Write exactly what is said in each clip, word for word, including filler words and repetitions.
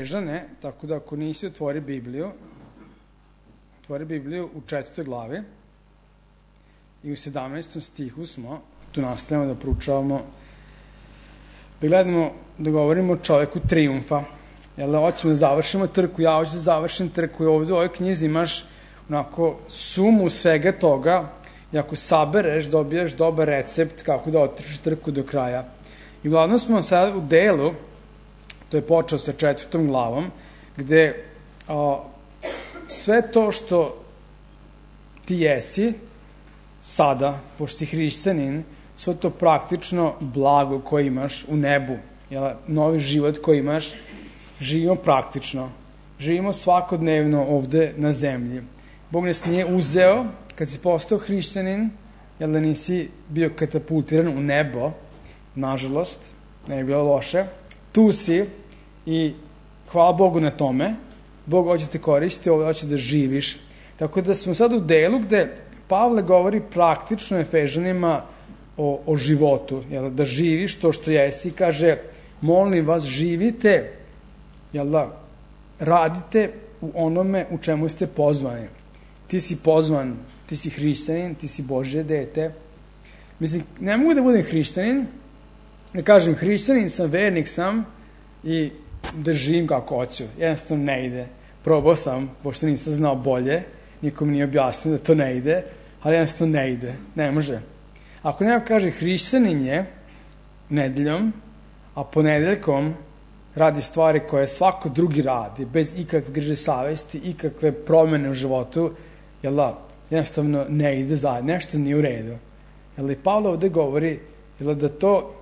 Efežane, tako da ako nisi, otvori Bibliju, otvori Bibliju u četvrtoj glavi i u sedamnaestom stihu smo, tu nastavljamo da proučavamo, da gledamo, da govorimo o čoveku trijumfa. Jel da, hoćemo da završimo trku, ja hoću da završim trku i ovde u ovoj knjizi imaš onako sumu svega toga i ako sabereš, dobijaš dobar recept kako da otrčiš trku do kraja. I uglavnom smo sad u delu, to je počeo sa četvrtom glavom, gde a, sve to što ti jesi sada, pošto si hrišćanin, sve to praktično blago koje imaš u nebu, jel, novi život koji imaš, živimo praktično, živimo svakodnevno ovde na zemlji. Bog nas nije uzeo, kad si postao hrišćanin, jel da nisi bio katapultiran u nebo, nažalost, ne je bilo loše, tu si i hvala Bogu na tome, Bog hoće te koristiti, ovdje hoće da živiš. Tako da smo sad u delu gde Pavle govori praktično Efežanima o, o životu, jel, da živiš to što jesi, kaže, molim vas, živite, jel da, radite u onome u čemu ste pozvani. Ti si pozvan, ti si hrišćanin, ti si Božje dete. Mislim, ne mogu da budem hrišćanin, da kažem hrišćanin sam, vernik sam i da živim kako hoću. Jednostavno ne ide. Probao sam, pošto nisam znao bolje, nikom nije objasnio da to ne ide, ali jednostavno ne ide. Ne može. Ako neko kaže hrišćanin je nedeljom, a ponedeljkom radi stvari koje svako drugi radi, bez ikakve griže savesti, ikakve promene u životu, jel da, jednostavno ne ide zajedno, nešto nije u redu. Jel da i Pavle ovde govori, jel da to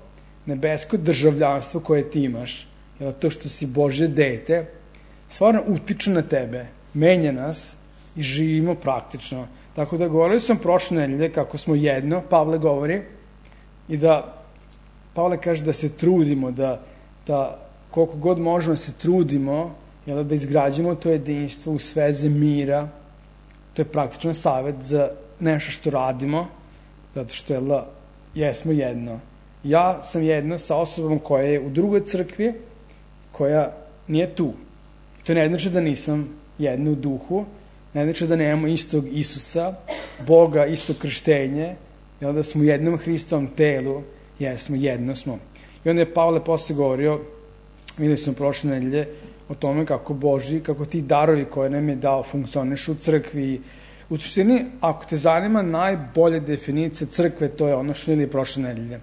nebesko državljanstvo koje ti imaš, jel da to što si Božje dete, stvarno utiče na tebe, menja nas i živimo praktično. Tako da govorili sam prošle nedelje kako smo jedno, Pavle govori, i da Pavle kaže da se trudimo, da, da koliko god možemo se trudimo, jel, da izgrađujemo to jedinstvo u sveze mira. To je praktičan savjet za nešto što radimo, zato što jel, jesmo jedno. Ja sam jedno sa osobom koja je u drugoj crkvi, koja nije tu. To ne znači da nisam jedno u duhu, ne znači da nemamo istog Isusa, Boga, isto krštenje, jel, da smo u jednom Hristovom telu, jesmo, jedno smo. I onda je Pavle posle govorio, videli smo prošle nedelje, o tome kako Boži, kako ti darovi koje nam je dao funkcionišu u crkvi. U suštini, ako te zanima najbolja definicija crkve, to je ono što videli prošle nedelje.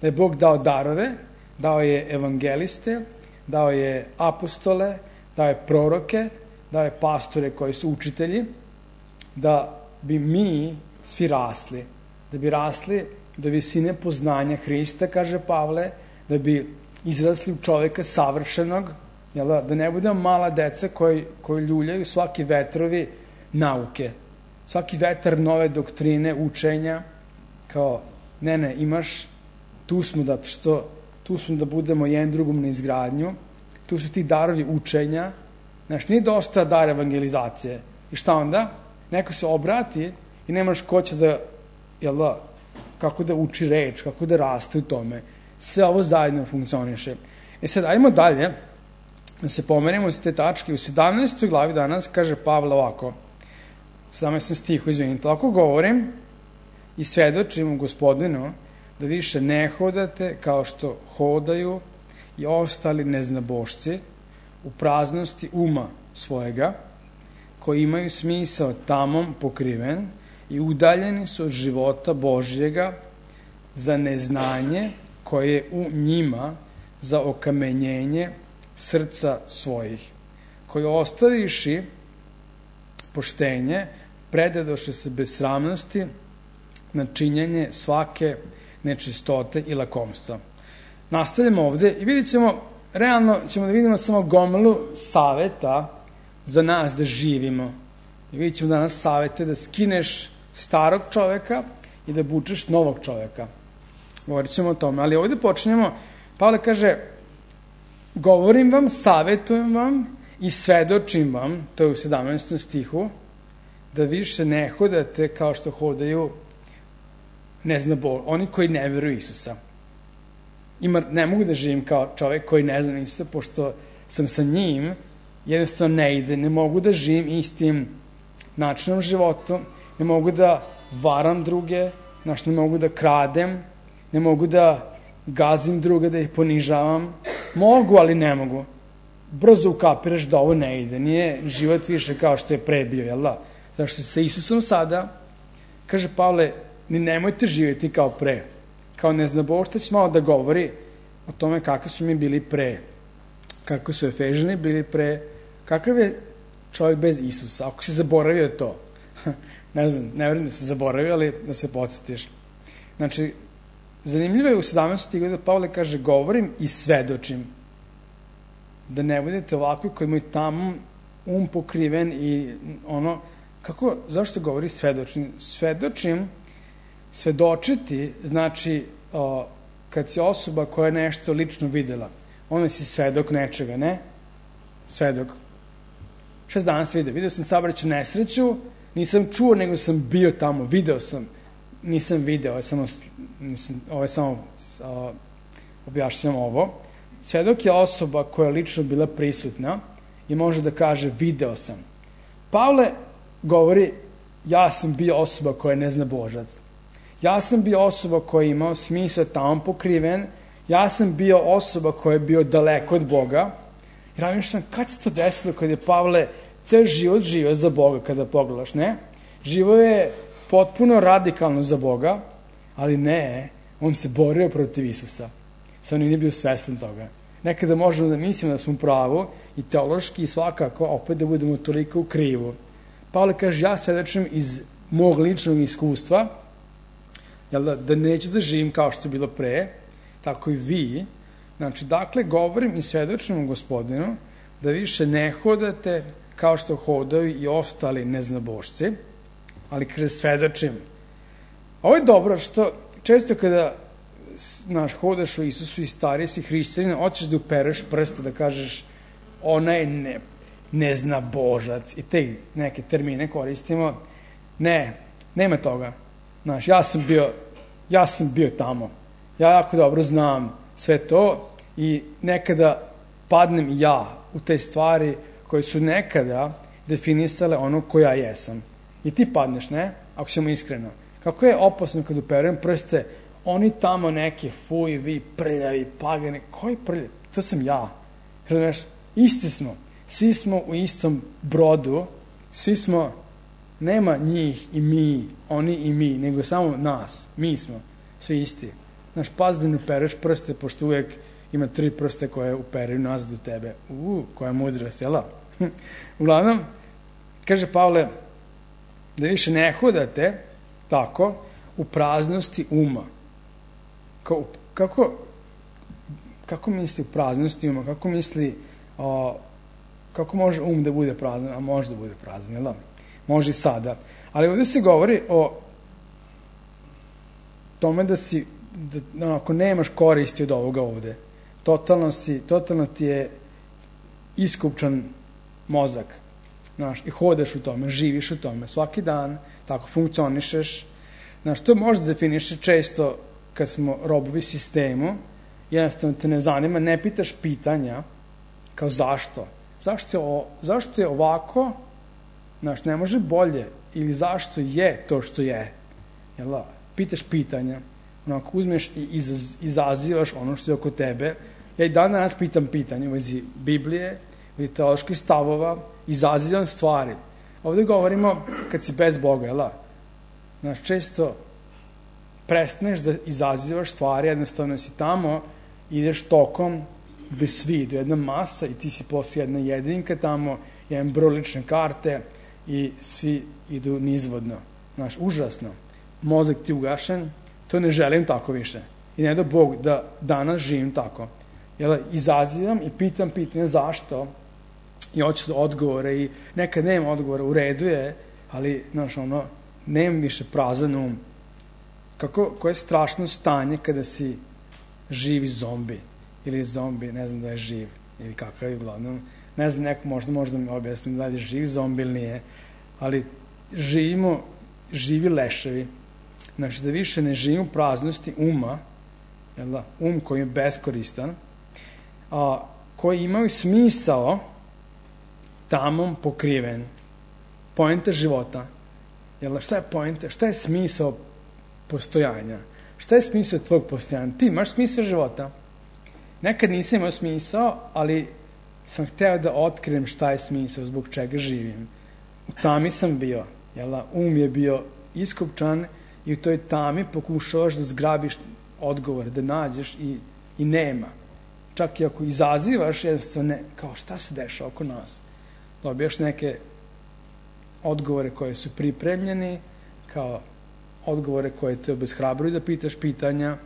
Da je Bog dao darove, dao je evangeliste, dao je apostole, dao je proroke, dao je pastore koji su učitelji, da bi mi svi rasli, da bi rasli do visine poznanja Hrista, kaže Pavle, da bi izrasli u čoveka savršenog, jel da, da ne budemo mala deca koji, koji ljuljaju svaki vetrovi nauke, svaki vetar nove doktrine, učenja, kao, ne, ne, imaš, tu smo da, što, tu smo da budemo jedan drugom na izgradnju, tu su ti darovi učenja, znaš, nije dosta dar evangelizacije. I šta onda? Neko se obrati i nemaš ko će da, jel da, kako da uči reč, kako da raste u tome. Sve ovo zajedno funkcioniše. E sad, ajmo dalje, da se pomerimo iz te tačke. U sedamnaestoj glavi danas kaže Pavle ovako, sedamnaestom stihu, izvinite, ako govorim i svedočim u Gospodinu da više ne hodate kao što hodaju i ostali neznabošci u praznosti uma svojega, koji imaju smisao tamom pokriven i udaljeni su od života Božjega za neznanje koje je u njima za okamenjenje srca svojih, koji ostaviši poštenje, predadoše se bez sramnosti na činjenje svake nečistote i lakomstva. Nastavljamo ovde i vidjet ćemo, realno ćemo da vidimo samo gomilu saveta za nas da živimo. I vidjet ćemo danas savete da skineš starog čoveka i da bučeš novog čoveka. Govorit ćemo o tome, ali ovde počinjemo, Pavle kaže, govorim vam, savetujem vam i svedočim vam, to je u sedamnaestom stihu, da više ne hodate kao što hodaju, ne znam, oni koji ne veruju Isusa. Ima, ne mogu da živim kao čovek koji ne zna Isusa, pošto sam sa njim, jednostavno ne ide, ne mogu da živim istim načinom života, ne mogu da varam druge, znači ne mogu da kradem, ne mogu da gazim druge, da ih ponižavam. Mogu, ali ne mogu. Brzo ukapiraš da ovo ne ide, nije život više kao što je pre bio, jel da? Zašto sa Isusom sada, kaže Pavle, ni nemojte živjeti kao pre. Kao neznaboštać malo da govori o tome kakvi su mi bili pre, kako su Efežani bili pre, kakav je čovjek bez Isusa, ako si zaboravio to. Ne znam, ne vjerujem da se zaboravio, ali da se podsjetiš. Znači, zanimljivo je u sedamnaestom stihu da Pavle kaže, govorim i svedočim. Da ne budete ovakvi koji imaju tamo um pokriven i ono, kako, zašto govori svedočim? Svedočim, svedočiti, znači, o, kad si osoba koja je nešto lično videla, onda si svedok nečega, ne? Svedok. Šta sam danas vidio? Video sam saobraćajnu nesreću, nisam čuo, nego sam bio tamo, video sam, nisam video, ovo je samo, nisam, ovo je samo o, objašnjam ovo. Svedok je osoba koja je lično bila prisutna i može da kaže video sam. Pavle govori, ja sam bio osoba koja ne zna Božac. Ja sam bio osoba koja je imao smisao tamo pokriven, ja sam bio osoba koja je bio daleko od Boga. I razmišljam, kad se to desilo kad je Pavle ceo život živio za Boga kada pogledaš, ne? Živo je potpuno radikalno za Boga, ali ne, on se borio protiv Isusa. Sam nije bio svestan toga. Nekada možemo da mislimo da smo u pravu i teološki i svakako opet da budemo toliko u krivu. Pavle kaže, ja svedočim iz mog ličnog iskustva, jel da, da neću da živim kao što je bilo pre, tako i vi. Znači, dakle, govorim i svedočim Gospodinu da više ne hodate kao što hodaju i ostali neznabošci, ali kaže svedočim. Ovo je dobro što često kada znaš, hodaš u Isusu i stariji si hrišćanin, hoćeš da upereš prste, da kažeš onaj ne, ne zna Božac i te neke termine koristimo. Ne, nema toga. Znaš, ja sam bio, ja sam bio tamo. Ja jako dobro znam sve to i nekada padnem i ja u te stvari koje su nekada definisale ono ko ja jesam. I ti padneš, ne? Ako ćemo iskreno. Kako je opasno kad uperujem prste, oni tamo neki, fuj, vi, prljavi, pagani, koji prljavi? To sam ja. Znaš, isti smo. Svi smo u istom brodu, svi smo, nema njih i mi, oni i mi, nego samo nas. Mi smo, svi isti. Znaš, paz da ne upereš prste, pošto uvijek ima tri prste koje uperaju nazad u tebe. Uuu, koja mudrost, jel da? Uglavnom, kaže Pavle, da više ne hodate tako u praznosti uma. Kako, kako, kako misli u praznosti uma? Kako misli, o, kako može um da bude prazan? A može da bude prazan, jel da? Može i sada. Ali ovdje se govori o tome da si, da, ako nemaš koristi od ovoga ovdje, totalno si, totalno ti je iskupčan mozak. Znaš, i hodaš u tome, živiš u tome, svaki dan, tako funkcionišeš. Znaš, to možda definiše često kad smo robovi sistemu, jednostavno te ne zanima, ne pitaš pitanja, kao zašto? Zašto je, o, zašto je ovako? Znaš, ne može bolje, ili zašto je to što je? Jel da? Pitaš pitanja, onako uzmeš i izaz, izazivaš ono što je oko tebe. Ja i dan danas pitam pitanje u vezi Biblije, u vezi teoloških stavova, izazivam stvari. Ovdje govorimo kad si bez Boga, jel da? Znaš, često prestaneš da izazivaš stvari, jednostavno si tamo, ideš tokom gde svi idu, jedna masa i ti si poslije jedna jedinka tamo, jedan broj lične karte i svi idu nizvodno. Znaš, užasno. Mozak ti ugašen, to ne želim tako više. I ne do Bog da danas živim tako. Jel, izazivam i pitam pitanje zašto i hoću odgovore i nekad nemam odgovora, u redu je, ali, znaš, ono, nemam više prazan um. Kako, koje je strašno stanje kada si živi zombi ili zombi, ne znam da je živ ili kakav je uglavnom, ne znam, neko možda možda mi objasni da li je živ zombi ili nije, ali živimo, živi leševi. Znači da više ne živimo praznosti uma, jel da, um koji je beskoristan, a koji imaju smisao tamom pokriven. Poenta života. Jel, šta je poenta? Šta je smisao postojanja? Šta je smisao tvojeg postojanja? Ti imaš smisao života. Nekad nisam imao smisao, ali sam hteo da otkrijem šta je smisao, zbog čega živim. U tami sam bio. Jel, um je bio iskopčan i u toj tami pokušavaš da zgrabiš odgovor, da nađeš i, i nema. Čak i ako izazivaš, jednostavno ne, kao šta se dešava oko nas. Dobijaš neke odgovore koje su pripremljeni, kao odgovore koje te obeshrabruju da pitaš pitanja.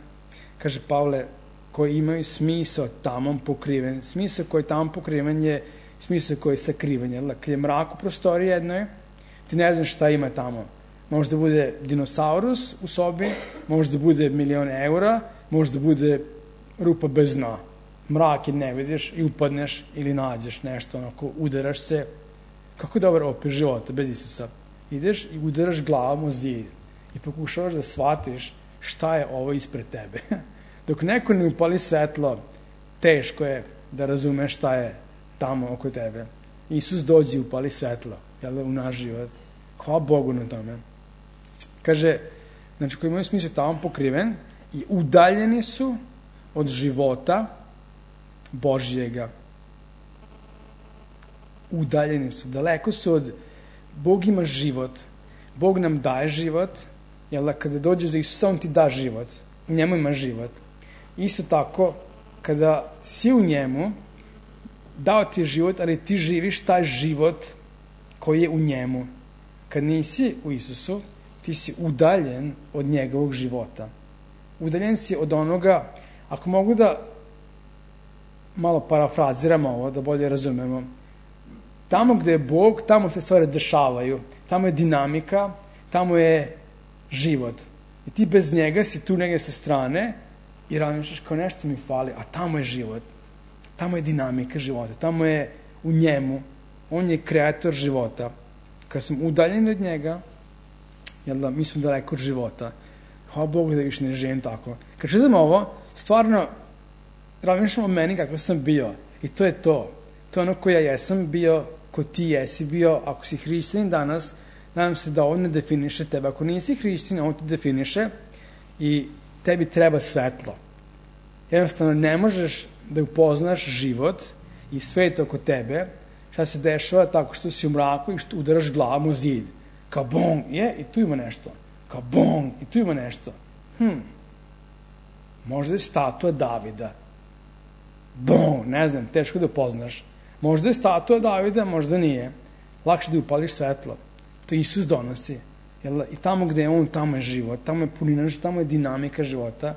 Kaže Pavle, koji imaju smisao tamom pokriven. Smisao koji je tamom pokriven je smisao koji je sakriven. Jer kad je mrak u prostoriji jednoj, ti ne znaš šta ima tamo. Možda bude dinosaurus u sobi, možda bude milion eura, možda bude rupa bez dna. Mrak je ne vidiš i upadneš ili nađeš nešto, onako udaraš se. Kako je dobar opis života bez Isusa? Ideš i udaraš glavom o zid i pokušavaš da shvatiš šta je ovo ispred tebe. Dok neko ne upali svetlo, teško je da razumeš šta je tamo oko tebe. Isus dođe i upali svetlo, jel da, u naš život. Hvala Bogu na tome. Kaže, znači koji imaju smisao tamo pokriven i udaljeni su od života Božjega. Udaljeni su, daleko su od... Bog ima život. Bog nam daje život, jel da, kada dođeš do Isusa, on ti da život. U njemu ima život. Isto tako, kada si u njemu, dao ti je život, ali ti živiš taj život koji je u njemu. Kad nisi u Isusu, ti si udaljen od njegovog života. Udaljen si od onoga, ako mogu da malo parafraziramo ovo, da bolje razumemo, tamo gde je Bog, tamo se stvari dešavaju, tamo je dinamika, tamo je život. I ti bez njega si tu negdje sa strane i razmišljaš kao nešto mi fali, a tamo je život. Tamo je dinamika života, tamo je u njemu, on je kreator života. Kad smo udaljeni od njega, jel da, mi smo daleko od života. Hvala Bogu da više ne živim tako. Kad čitam ovo, stvarno razmišljam o meni kako sam bio. I to je to. To je ono ko ja jesam bio, ko ti jesi bio. Ako si hrišćanin danas, nadam se da ovo ne definiše tebe. Ako nisi hrišćanin, ovo te definiše i tebi treba svetlo. Jednostavno, ne možeš da upoznaš život i svet oko tebe, šta se dešava tako što si u mraku i što udaraš glavom u zid. Kao bong, je, i tu ima nešto. Kao bong, i tu ima nešto. Hm, možda je statua Davida. Bong, ne znam, teško da upoznaš. Možda je statua Davida, možda nije. Lakše da upališ svetlo. To Isus donosi. Jel, i tamo gde je on, tamo je život, tamo je punina, tamo je dinamika života.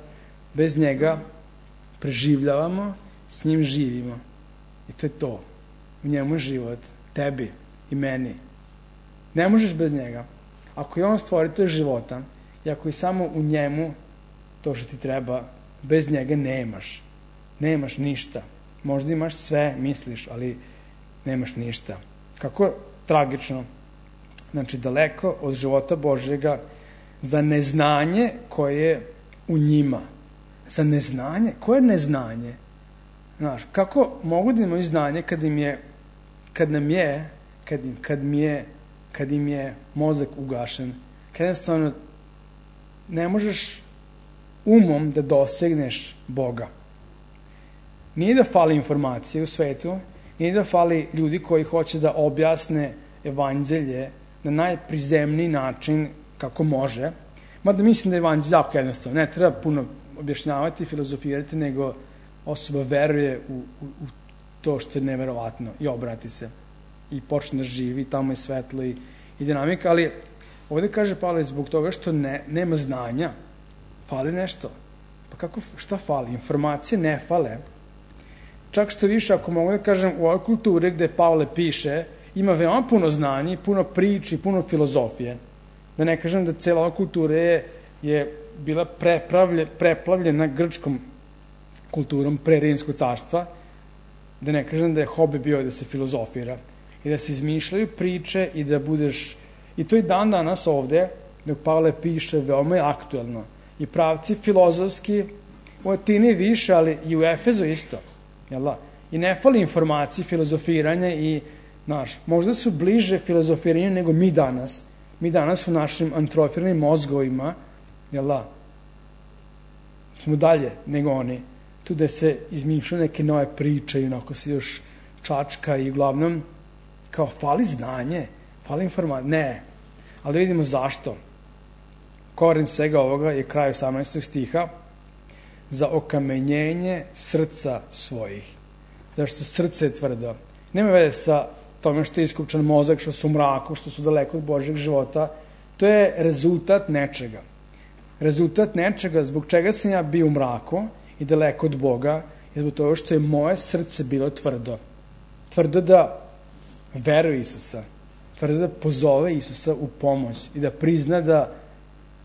Bez njega preživljavamo, s njim živimo. I to je to. U njemu je život, tebi i meni. Ne možeš bez njega. Ako je on stvoritelj života i ako je samo u njemu to što ti treba, bez njega nemaš. Nemaš ništa. Možda imaš sve, misliš, ali nemaš ništa. Kako tragično. Znači, daleko od života Božjega za neznanje koje je u njima. Za neznanje? Koje je neznanje? Znaš, kako mogu da imaju znanje kad im je, kad nam je, kad im, kad mi je, kad im je mozak ugašen? Kad jednostavno ne možeš umom da dosegneš Boga. Nije da fali informacije u svetu, nije da fali ljudi koji hoće da objasne evanđelje na najprizemniji način kako može. Mada mislim da je evanđelje jako jednostavno. Ne treba puno objašnjavati, filozofirati, nego osoba veruje u, u, u to što je neverovatno i obrati se i počne da živi, tamo je svetlo i, i dinamika, ali ovdje kaže Pavle zbog toga što ne, nema znanja, fali nešto. Pa kako, šta fali? Informacije ne fale. Čak što više, ako mogu da kažem, u ovoj kulturi gde Pavle piše, ima veoma puno znanja, puno priči, puno filozofije. Da ne kažem da cijela ova kultura je, je bila preplavljena grčkom kulturom pre Rimskog carstva, da ne kažem da je hobi bio da se filozofira i da se izmišljaju priče i da budeš, i to i dan danas ovde, dok Pavle piše, veoma je aktuelno. I pravci filozofski u Atini više, ali i u Efezu isto. Jel da? I ne fali informacije, filozofiranja i, znaš, možda su bliže filozofiranju nego mi danas. Mi danas u našim antrofiranim mozgovima, jel da, smo dalje nego oni. Tu da se izmišljaju neke nove priče i onako se još čačka i uglavnom kao fali znanje, fali informacije. Ne, ali da vidimo zašto. Koren svega ovoga je kraj osamnaestog stiha, za okamenjenje srca svojih. Zašto srce je tvrdo. Nema veze sa tome što je iskupčan mozak, što su u mraku, što su daleko od Božjeg života. To je rezultat nečega. Rezultat nečega zbog čega sam ja bio u mraku i daleko od Boga i zbog toga što je moje srce bilo tvrdo. Tvrdo da veruje Isusa. Tvrdo da pozove Isusa u pomoć i da prizna da,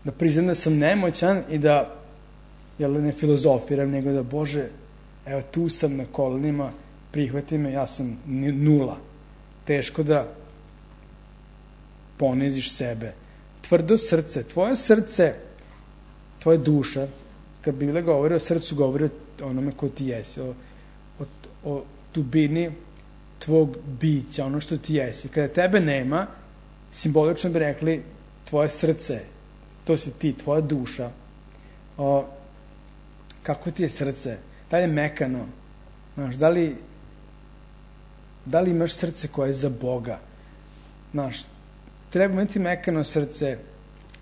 da prizna da sam nemoćan i da, jel, ne filozofiram, nego da, Bože, evo tu sam na kolenima, prihvati me, ja sam nula. Teško da poniziš sebe. Tvrdo srce, tvoje srce, tvoja duša, kad Biblija govori o srcu, govori o onome ko ti jesi, o, o, o dubini tvog bića, ono što ti jesi. Kada tebe nema, simbolično bi rekli tvoje srce, to si ti, tvoja duša. O, kako ti je srce? Da li je mekano? Znaš, da li, da li imaš srce koje je za Boga? Znaš, treba imati mekano srce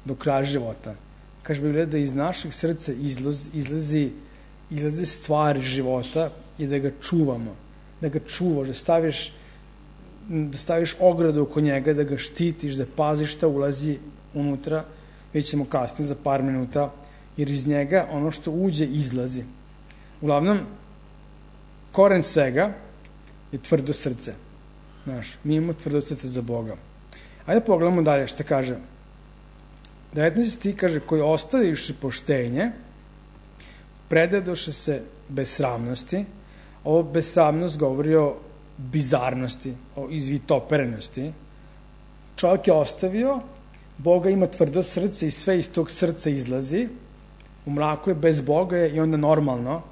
do kraja života. Kaže Biblija da iz našeg srca izlazi, izlazi, izlazi stvari života i da ga čuvamo. Da ga čuvaš, da staviš, da staviš ogradu oko njega, da ga štitiš, da paziš šta ulazi unutra, već ćemo kasnije za par minuta, jer iz njega ono što uđe izlazi. Uglavnom, koren svega je tvrdo srce. Znaš, mi imamo tvrdo srce za Boga. Ajde pogledamo dalje šta kaže. devetnaesti stih kaže, koji ostaviši poštenje, predadoše se besramnosti. Ovo besramnost govori o bizarnosti, o izvitoperenosti. Čovjek je ostavio, Boga ima tvrdo srce i sve iz tog srca izlazi, u mraku je, bez Boga je i onda normalno,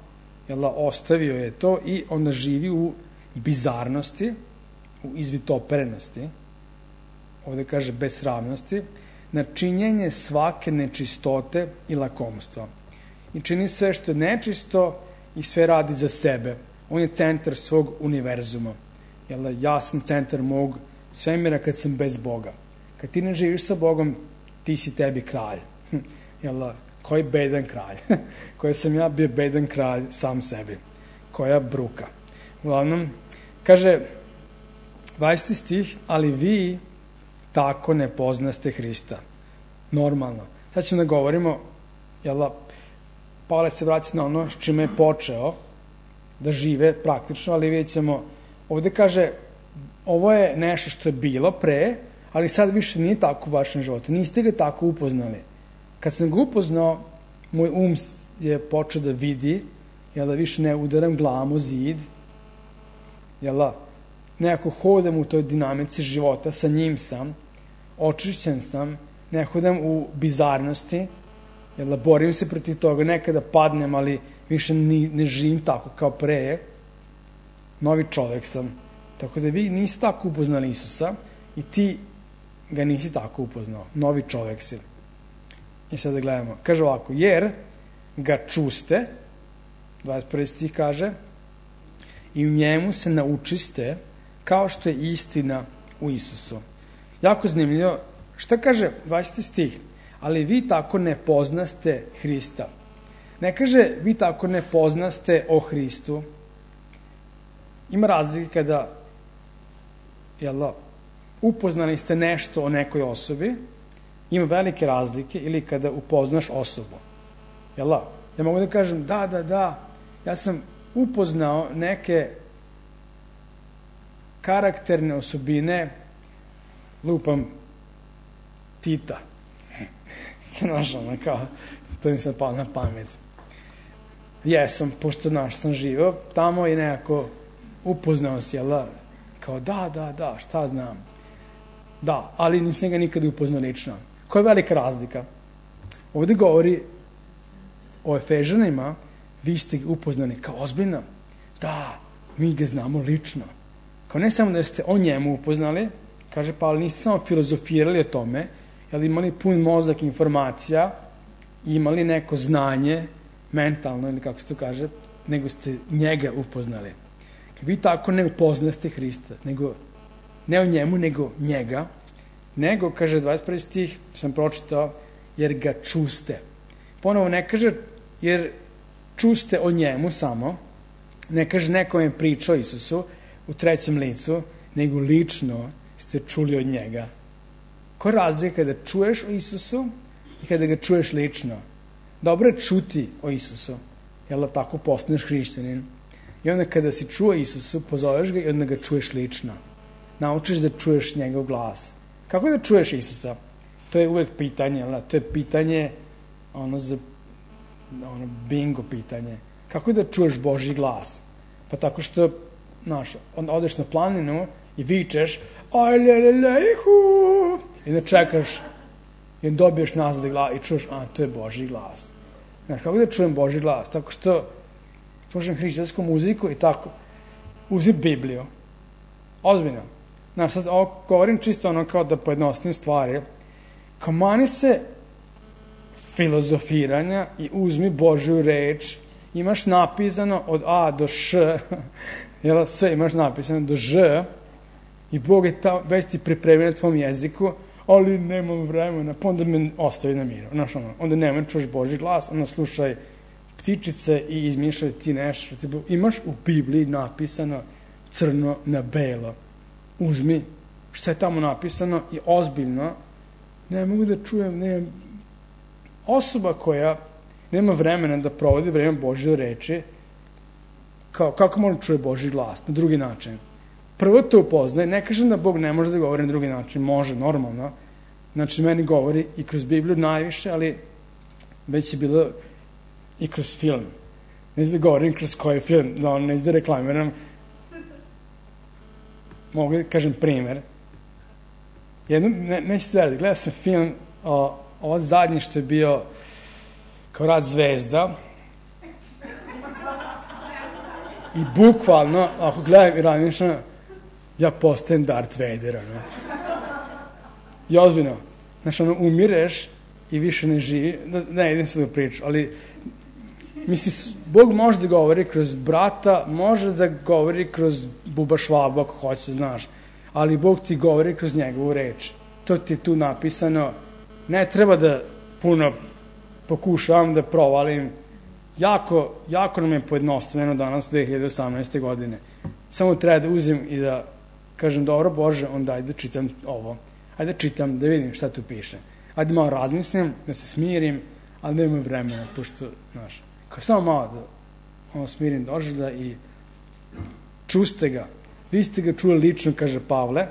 jel, ostavio je to i onda živi u bizarnosti, u izvitoperenosti, ovde kaže besramnosti, na činjenje svake nečistote i lakomstva. I čini sve što je nečisto i sve radi za sebe. On je centar svog univerzuma. Jel, ja sam centar mog svemira kad sam bez Boga. Kad ti ne živiš sa Bogom, ti si tebi kralj. Jel, koji bedan kralj. Koji sam ja bio bedan kralj sam sebi. Koja bruka. Uglavnom, kaže dvadeseti stih, ali vi tako ne poznaste Hrista. Normalno. Sad ćemo da govorimo, jel, Pavle se vraća na ono s čime je počeo da žive praktično, ali vidjet ćemo, ovde kaže, ovo je nešto što je bilo pre, ali sad više nije tako u vašem životu. Niste ga tako upoznali. Kad sam ga upoznao, moj um je počeo da vidi, jel, da više ne udaram glavom u zid, jel, nekako hodam u toj dinamici života, sa njim sam, očišćen sam, ne hodam u bizarnosti, jel, borim se protiv toga, nekada padnem, ali više ni, ne živim tako kao pre, novi čovek sam. Tako da vi niste tako upoznali Isusa i ti ga nisi tako upoznao. Novi čovek si. I sad da gledamo. Kaže ovako, jer ga čuste, dvadeset prvi stih kaže, i u njemu se naučiste kao što je istina u Isusu. Jako zanimljivo. Šta kaže dvadeseti stih? Ali vi tako ne poznaste Hrista. Ne kaže vi tako ne poznaste o Hristu. Ima razlike kada, jel, upoznali ste nešto o nekoj osobi, ima velike razlike, ili kada upoznaš osobu. Jel, ja mogu da kažem, da, da, da, ja sam upoznao neke karakterne osobine, lupam Tita. Znaš, ono, kao, to mi se palo na pamet. Jesam, pošto, znaš, sam živio tamo i nekako upoznao si, jel, kao, da, da, da, šta znam. Da, ali nisam ga nikada upoznao lično. Koja je velika razlika? Ovde govori o Efežanima, vi ste ga upoznani kao ozbiljno. Da, mi ga znamo lično. Kao ne samo da ste o njemu upoznali, kaže Pavle, niste samo filozofirali o tome, ali imali pun mozak informacija, imali neko znanje, mentalno ili kako se to kaže, nego ste njega upoznali. Kad vi tako ne upoznaste Hrista, nego ne o njemu, nego njega, nego, kaže dvadeset prvi stih, sam pročitao, jer ga čuste. Ponovo ne kaže, jer čuste o njemu samo, ne kaže neko je pričao o Isusu u trećem licu, nego lično ste čuli od njega. Ko razlika kada čuješ o Isusu i kada ga čuješ lično? Dobro je čuti o Isusu, jel da tako postaneš hrišćanin. I onda kada si čuo Isusu, pozoveš ga i onda ga čuješ lično. Naučiš da čuješ njegov glas. Kako da čuješ Isusa? To je uvek pitanje, jel da? To je pitanje, ono za, ono bingo pitanje. Kako da čuješ Božji glas? Pa tako što, znaš, onda odeš na planinu i vičeš ajlelelejhu i da čekaš i dobiješ nazad glas i čuješ, a, to je Božji glas. Znaš, kako da čujem Božji glas? Tako što slušam hrišćansku muziku i tako. Uzi Bibliju. Ozbiljno. Znaš, sad ovo govorim čisto ono kao da pojednostavim stvari. Kao mani se filozofiranja i uzmi Božju reč. Imaš napisano od A do Š, jel, sve imaš napisano do Ž i Bog je ta, već ti pripremio na tvom jeziku, ali nemam vremena, pa onda me ostavi na miru. Znaš, ono, onda nemoj čuš Božji glas, onda slušaj ptičice i izmišljaj ti nešto. Ti imaš u Bibliji napisano crno na belo. Uzmi što je tamo napisano i ozbiljno. Ne mogu da čujem, ne, osoba koja nema vremena da provodi vreme Božje reči, kao, kako može čuje Božji glas? Na drugi način. Prvo to upoznaje, ne kažem da Bog ne može da govori na drugi način, može, normalno. Znači, meni govori i kroz Bibliju najviše, ali već je bilo i kroz film. Ne znam da govorim kroz koji film, da on ne znam da reklamiram. Mogu da kažem primer. Jedno, ne, nećete da raditi, gledao sam film, o, ovo zadnji što je bio kao Rat zvezda. I bukvalno, ako gledam i razmišljam, ja postajem Darth Vader, ono. I ozbiljno. Znači, ono, umireš i više ne živi. Ne, idem se da priču, ali mislim, Bog može da govori kroz brata, može da govori kroz Buba Švabu, ako hoće, znaš. Ali Bog ti govori kroz njegovu reč. To ti je tu napisano. Ne treba da puno pokušavam da provalim. Jako, jako nam je pojednostavljeno danas dve hiljade osamnaeste. godine. Samo treba da uzem i da kažem, dobro Bože, onda ajde da čitam ovo. Ajde da čitam, da vidim šta tu piše. Ajde malo razmislim, da se smirim, ali nemam vremena, pošto, znaš, kao samo malo da ono, smirim doželja i čuste ga. Vi ste ga čuli lično, kaže Pavle,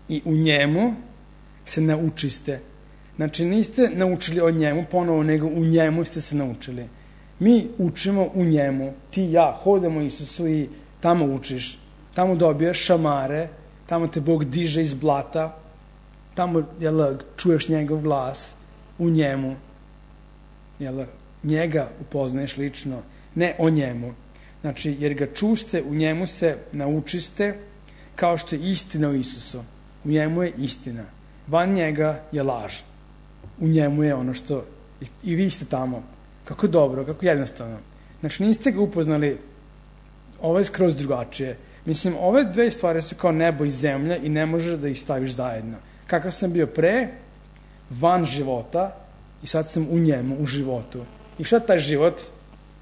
i u njemu se naučiste. Znači, niste naučili o njemu ponovo, nego u njemu ste se naučili. Mi učimo u njemu, ti i ja hodamo Isusu i tamo učiš, tamo dobijaš šamare, tamo te Bog diže iz blata, tamo jel, čuješ njegov glas, u njemu, jel, njega upoznaješ lično, ne o njemu. Znači, jer ga čuste, u njemu se naučiste, kao što je istina o Isusu. U njemu je istina. Van njega je laž. U njemu je ono što... I, i vi ste tamo. Kako dobro, kako jednostavno. Znači, niste ga upoznali, ovo je skroz drugačije. Mislim, ove dve stvari su kao nebo i zemlja i ne možeš da ih staviš zajedno. Kakav sam bio pre, van života, i sad sam u njemu, u životu. I šta taj život?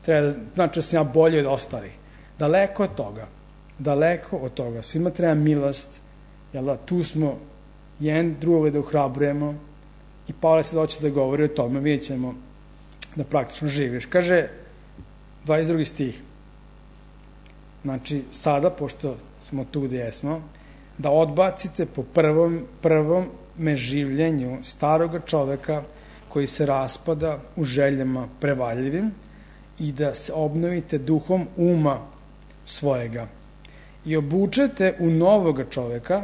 Treba da, znači da sam ja bolji od ostalih. Daleko od toga. Daleko od toga. Svima treba milost. Jel da, tu smo jedan drugog da uhrabrujemo. I Pavle se doće da govori o tome. Vidjet ćemo da praktično živiš. Kaže, dvadeset drugi stih. Znači, sada, pošto smo tu gde jesmo, da odbacite po prvom, prvom meživljenju staroga čoveka koji se raspada u željama prevaljivim i da se obnovite duhom uma svojega i obučete u novoga čoveka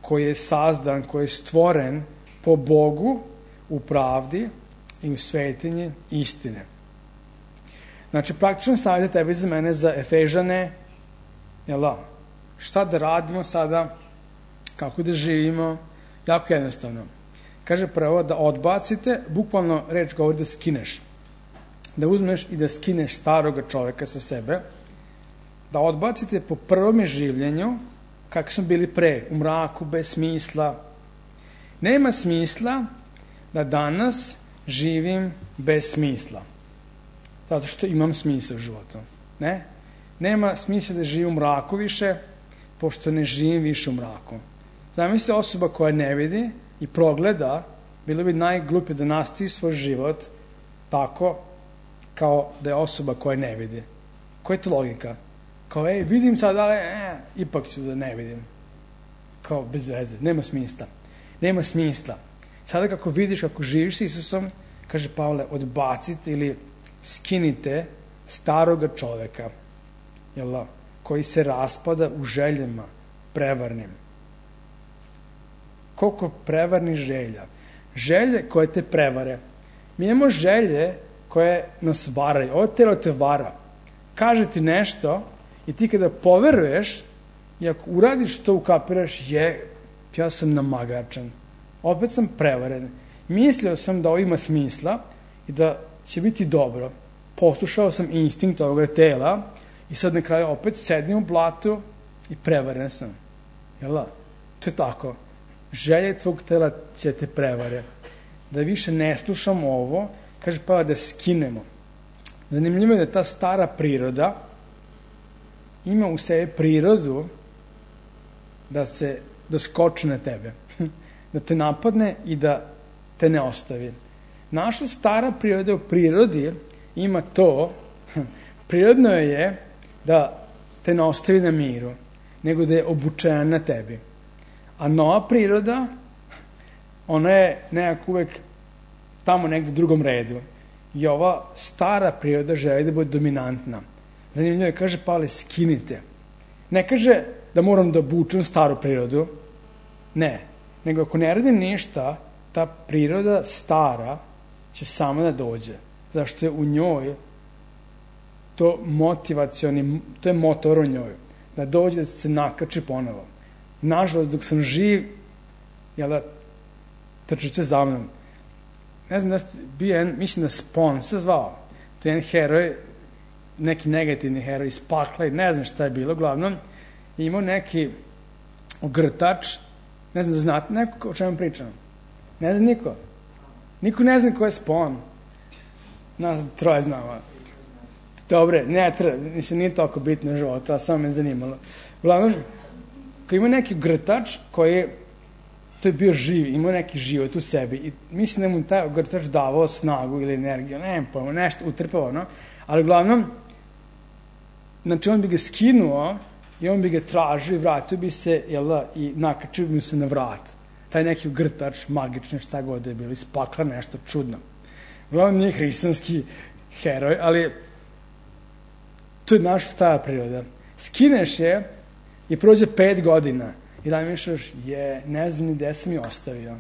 koji je sazdan, koji je stvoren po Bogu u pravdi i u svetinji istine. Znači, praktično savjet za tebe i za mene za Efežane Jel da? Šta da radimo sada? Kako da živimo? Jako jednostavno. Kaže prvo da odbacite, bukvalno reč govori da skineš. Da uzmeš i da skineš staroga čoveka sa sebe, da odbacite po prvom življenju, kako smo bili pre, u mraku, bez smisla. Nema smisla da danas živim bez smisla. Zato što imam smisla u životu. Ne? Nema smisla da živim u mraku više, pošto ne živim više u mraku. Zamisli osoba koja ne vidi i progleda, bilo bi najglupije da nastavi svoj život tako kao da je osoba koja ne vidi. Koja je to logika? Kao, ej, vidim sad, ali e, ipak ću da ne vidim. Kao, bez veze, nema smisla. Nema smisla. Sada kako vidiš, kako živiš s Isusom, kaže Pavle, odbacite ili skinite staroga čoveka, jel da, koji se raspada u željama prevarnim. Koliko prevarnih želja. Želje koje te prevare. Mi imamo želje koje nas varaju. Ovo telo te vara. Kaže ti nešto i ti kada poveruješ i ako uradiš to, ukapiraš, je, ja sam namagačan. Opet sam prevaren. Mislio sam da ovo ima smisla i da će biti dobro. Poslušao sam instinkt ovoga tela i sad na kraju opet sedim u blatu i prevaren sam. Jel da? To je tako. Želje tvog tela će te prevare. Da više ne slušamo ovo, kaže pa da skinemo. Zanimljivo je da ta stara priroda ima u sebi prirodu da se da skoči na tebe. Da te napadne i da te ne ostavi. Naša stara priroda u prirodi ima to, prirodno je da te ne ostavi na miru, nego da je obučena na tebi. A nova priroda, ona je nekako uvek tamo negde u drugom redu. I ova stara priroda želi da bude dominantna. Zanimljivo je, kaže Pavle, skinite. Ne kaže da moram da obučem staru prirodu, ne. Nego ako ne radim ništa, ta priroda stara će sama da dođe. Zašto je u njoj to motivacioni, to je motor u njoj. Da dođe da se nakači ponovo. Nažalost, dok sam živ, jel da, trčit će za mnom. Ne znam da ste bio jedan, mislim da Spawn se zvao. To je jedan heroj, neki negativni heroj iz pakla i ne znam šta je bilo, uglavnom. I imao neki ogrtač, ne znam da znate neko o čemu pričam. Ne zna niko. Niko ne zna ko je Spawn. Nas troje znamo. Dobre, ne treba, mislim, nije toliko bitno u životu, a samo me zanimalo. Uglavnom, koji ima neki ogrtač koji, to je bio živ, imao neki život u sebi i mislim da mu taj ogrtač davao snagu ili energiju, ne pojmo, nešto utrpao, no? Ali uglavnom, znači on bi ga skinuo i on bi ga tražio i vratio bi se, jel da, i nakačio bi mu se na vrat. Taj neki ogrtač, magični, šta god je bilo, iz pakla, nešto čudno. Uglavnom nije hrišćanski heroj, ali to je naša stara priroda. Skineš je i prođe pet godina i razmišljaš, je, ne znam ni gde sam je ostavio.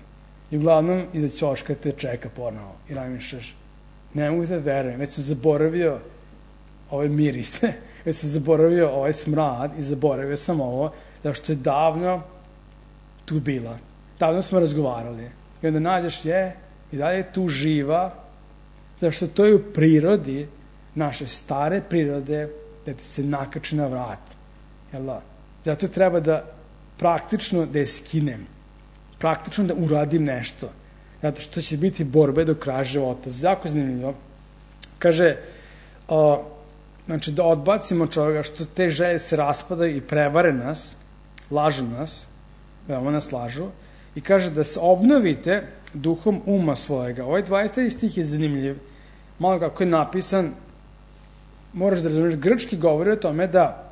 I uglavnom iza ćoška te čeka ponovo i razmišljaš, ne mogu da verujem, već sam zaboravio ove mirise, već sam zaboravio ovaj smrad i zaboravio sam ovo, zato što je davno tu bila. Davno smo razgovarali. I onda nađeš, je, i dalje je tu živa, zato što to je u prirodi, naše stare prirode, da ti se nakači na vrat. Jel da? Zato treba da praktično da je skinem. Praktično da uradim nešto. Zato što će biti borbe do kraja života. Jako zanimljivo. Kaže, o, znači da odbacimo čovjeka što te želje se raspadaju i prevare nas, lažu nas, veoma nas lažu, i kaže da se obnovite duhom uma svojega. Ovaj dvadeset treći stih je zanimljiv. Malo kako je napisan, moraš da razumiješ, grčki govori o tome da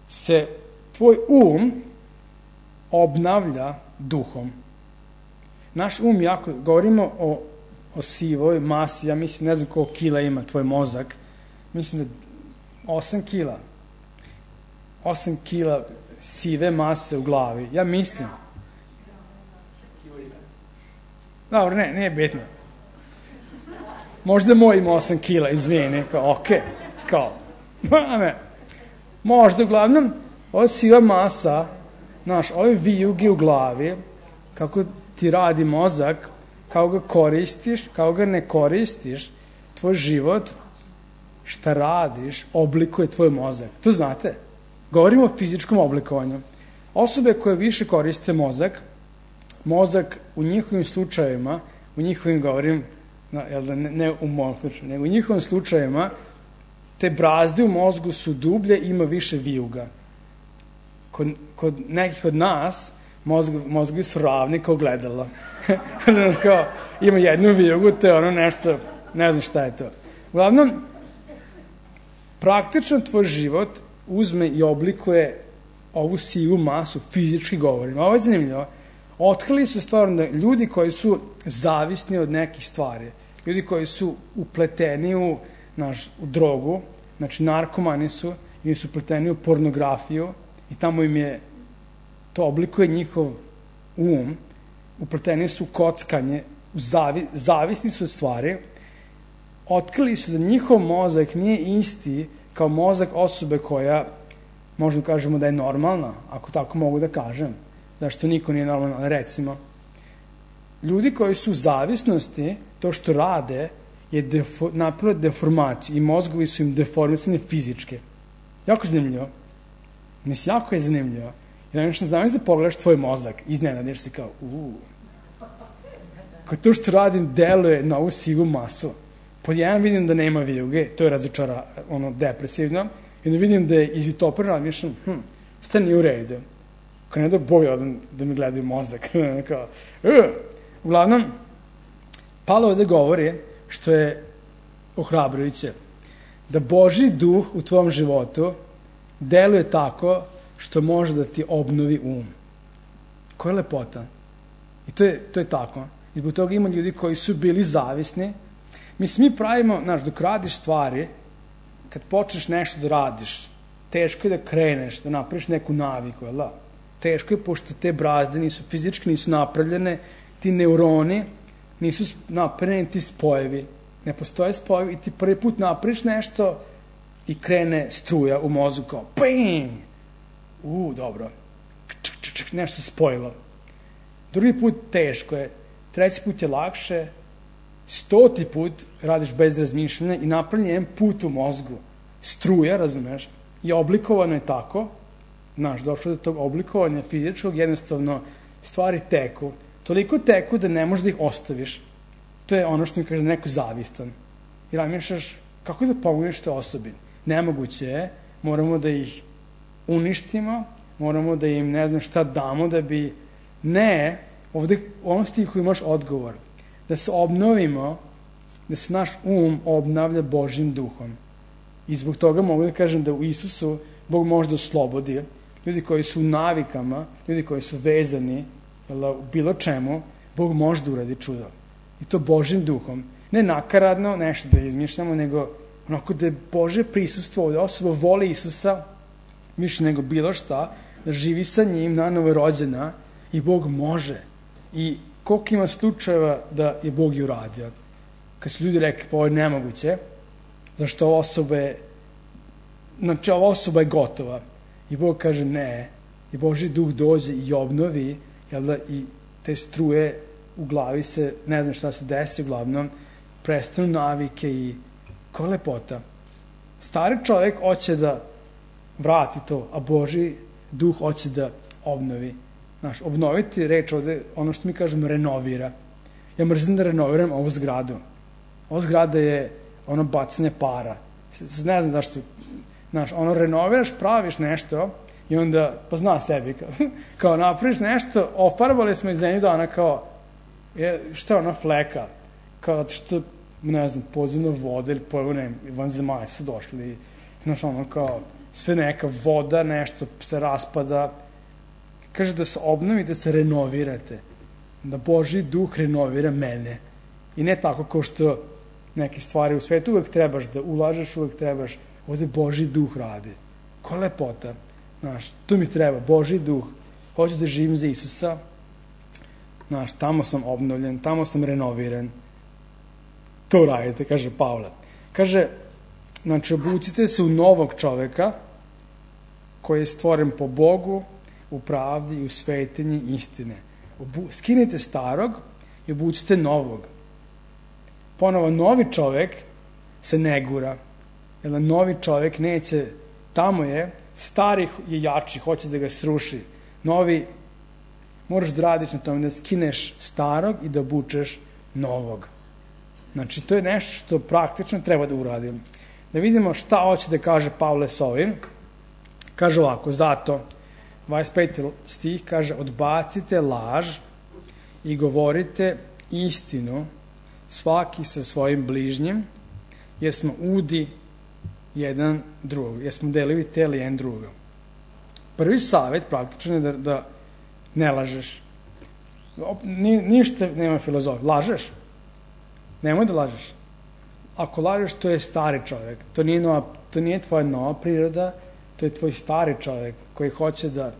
se tvoj um obnavlja duhom. Naš um jako, govorimo o, o sivoj masi, ja mislim, ne znam koliko kila ima tvoj mozak, mislim da osam kila. osam kila sive mase u glavi. Ja mislim. Dobro, ne, nije bitno. Možda moj ima osam kila, izvini, kao, okej, okay. Kao, ne. Možda, uglavnom, ova siva masa, znaš, ove vijuge u glavi, kako ti radi mozak, kako ga koristiš, kako ga ne koristiš, tvoj život, šta radiš, oblikuje tvoj mozak. To znate. Govorimo o fizičkom oblikovanju. Osobe koje više koriste mozak, mozak u njihovim slučajevima, u njihovim, govorim, ne, ne u mojom slučaju, nego u njihovim slučajevima, te brazde u mozgu su dublje i ima više vijuga. Kod, kod nekih od nas, mozg, mozgovi su ravni kao gledala. Kao, ima jednu vijugu, to je ono nešto, ne znam šta je to. Uglavnom, praktično tvoj život uzme i oblikuje ovu sivu masu, fizički govorim. Ovo je zanimljivo. Otkrili su stvarno da ljudi koji su zavisni od nekih stvari, ljudi koji su upleteni u, naš, u drogu, znači narkomani su, ili su upleteni u pornografiju i tamo im je, to oblikuje njihov um, upleteni su u kockanje, u zavi, zavisni su od stvari, otkrili su da njihov mozak nije isti kao mozak osobe koja, možemo kažemo da je normalna, ako tako mogu da kažem, zašto niko nije normalan, recimo. Ljudi koji su u zavisnosti, to što rade, je defo, napravili deformaciju i mozgovi su im deformisani fizičke. Jako zanimljivo. Mislim, jako je zanimljivo. Jer nešto zamisli da pogledaš tvoj mozak, iznenadiš se kao, uuu. Kao to što radim deluje na ovu sivu masu. Pod jedan vidim da nema vijuge, to je razočara, ono, depresivno, i da vidim da je izvitopreno, ali mišljam, hm, šta nije u redu? Kao ne da boja da, da mi gledaju mozak. Kao, uh. Uglavnom, Pavle ovde govori, što je ohrabrujuće, da Božji duh u tvom životu deluje tako što može da ti obnovi um. Koja je lepota. I to je, to je tako. I zbog toga ima ljudi koji su bili zavisni. Mislim, mi pravimo, znaš, dok radiš stvari, kad počneš nešto da radiš, teško je da kreneš, da napraviš neku naviku, jel da? Teško je, pošto te brazde nisu fizički, nisu napravljene, ti neuroni nisu napravljeni, ti spojevi. Ne postoje spojevi i ti prvi put napraviš nešto i krene struja u mozgu kao ping! U, dobro. Ček, ček, ček, nešto se spojilo. Drugi put teško je, treći put je lakše, stoti put radiš bez razmišljanja i napravljen jedan put u mozgu. Struja, razumeš, i oblikovano je tako, znaš, došlo do tog oblikovanja fizičkog, jednostavno stvari teku. Toliko teku da ne možeš da ih ostaviš. To je ono što mi kaže neko zavistan. I razmišljaš, kako da pomogneš te osobi? Nemoguće je, moramo da ih uništimo, moramo da im ne znam šta damo da bi... Ne, ovde u ovom stihu imaš odgovor. Da se obnovimo, da se naš um obnavlja Božjim duhom. I zbog toga mogu da kažem da u Isusu Bog može da oslobodi ljudi koji su u navikama, ljudi koji su vezani jel, u bilo čemu, Bog može da uradi čudo. I to Božjim duhom. Ne nakaradno nešto da izmišljamo, nego onako da je Božje prisustvo ovde. Osoba voli Isusa više nego bilo šta, da živi sa njim, nanovo je rođena i Bog može. I koliko ima slučajeva da je Bog i uradio. Kad su ljudi rekli, pa ovo je nemoguće, zašto ova osoba je, znači ova osoba je gotova. I Bog kaže ne, i Božji duh dođe i obnovi, jel da, i te struje u glavi se, ne znam šta se desi, uglavnom, prestanu navike i ko lepota. Stari čovjek hoće da vrati to, a Božji duh hoće da obnovi. Znaš, obnoviti reč ovde, ono što mi kažemo, renovira. Ja mrzim da renoviram ovu zgradu. Ova zgrada je ono bacanje para. Ne znam zašto, znaš, ono renoviraš, praviš nešto i onda, pa zna sebi, kao, kao napraviš nešto, ofarbali smo iz zemlju dana kao, je, šta je ona fleka? Kao što, ne znam, podzemna voda ili pojavo, ne, vanzemaljci su došli, znaš, ono kao, sve neka voda, nešto se raspada. Kaže da se obnovi, da se renovirate. Da Božji duh renovira mene. I ne tako kao što neke stvari u svetu uvek trebaš da ulažeš, uvek trebaš, ovde Božji duh radi. Ko lepota. Znaš, tu mi treba, Božji duh. Hoću da živim za Isusa. Znaš, tamo sam obnovljen, tamo sam renoviran. To radite, kaže Pavle. Kaže, znači, obucite se u novog čoveka, koji je stvoren po Bogu, u pravdi i u svetinji istine. Obu, skinite starog i obucite novog. Ponovo, novi čovek se ne gura. Jer novi čovek neće, tamo je, stari je jači, hoće da ga sruši. Novi, moraš da radiš na tome, da skineš starog i da obučeš novog. Znači, to je nešto što praktično treba da uradim. Da vidimo šta hoće da kaže Pavle s ovim. Kaže ovako, zato, dvadeset peti stih kaže, odbacite laž i govorite istinu svaki sa svojim bližnjim, jer smo udi jedan drugog, jer smo delivi tela jedan druga. Prvi savjet praktično je da, da ne lažeš. Ni, ništa nema filozofije. Lažeš? Nemoj da lažeš. Ako lažeš, to je stari čovjek. To nije, nova, to nije tvoja nova priroda, to je tvoj stari čovjek koji hoće da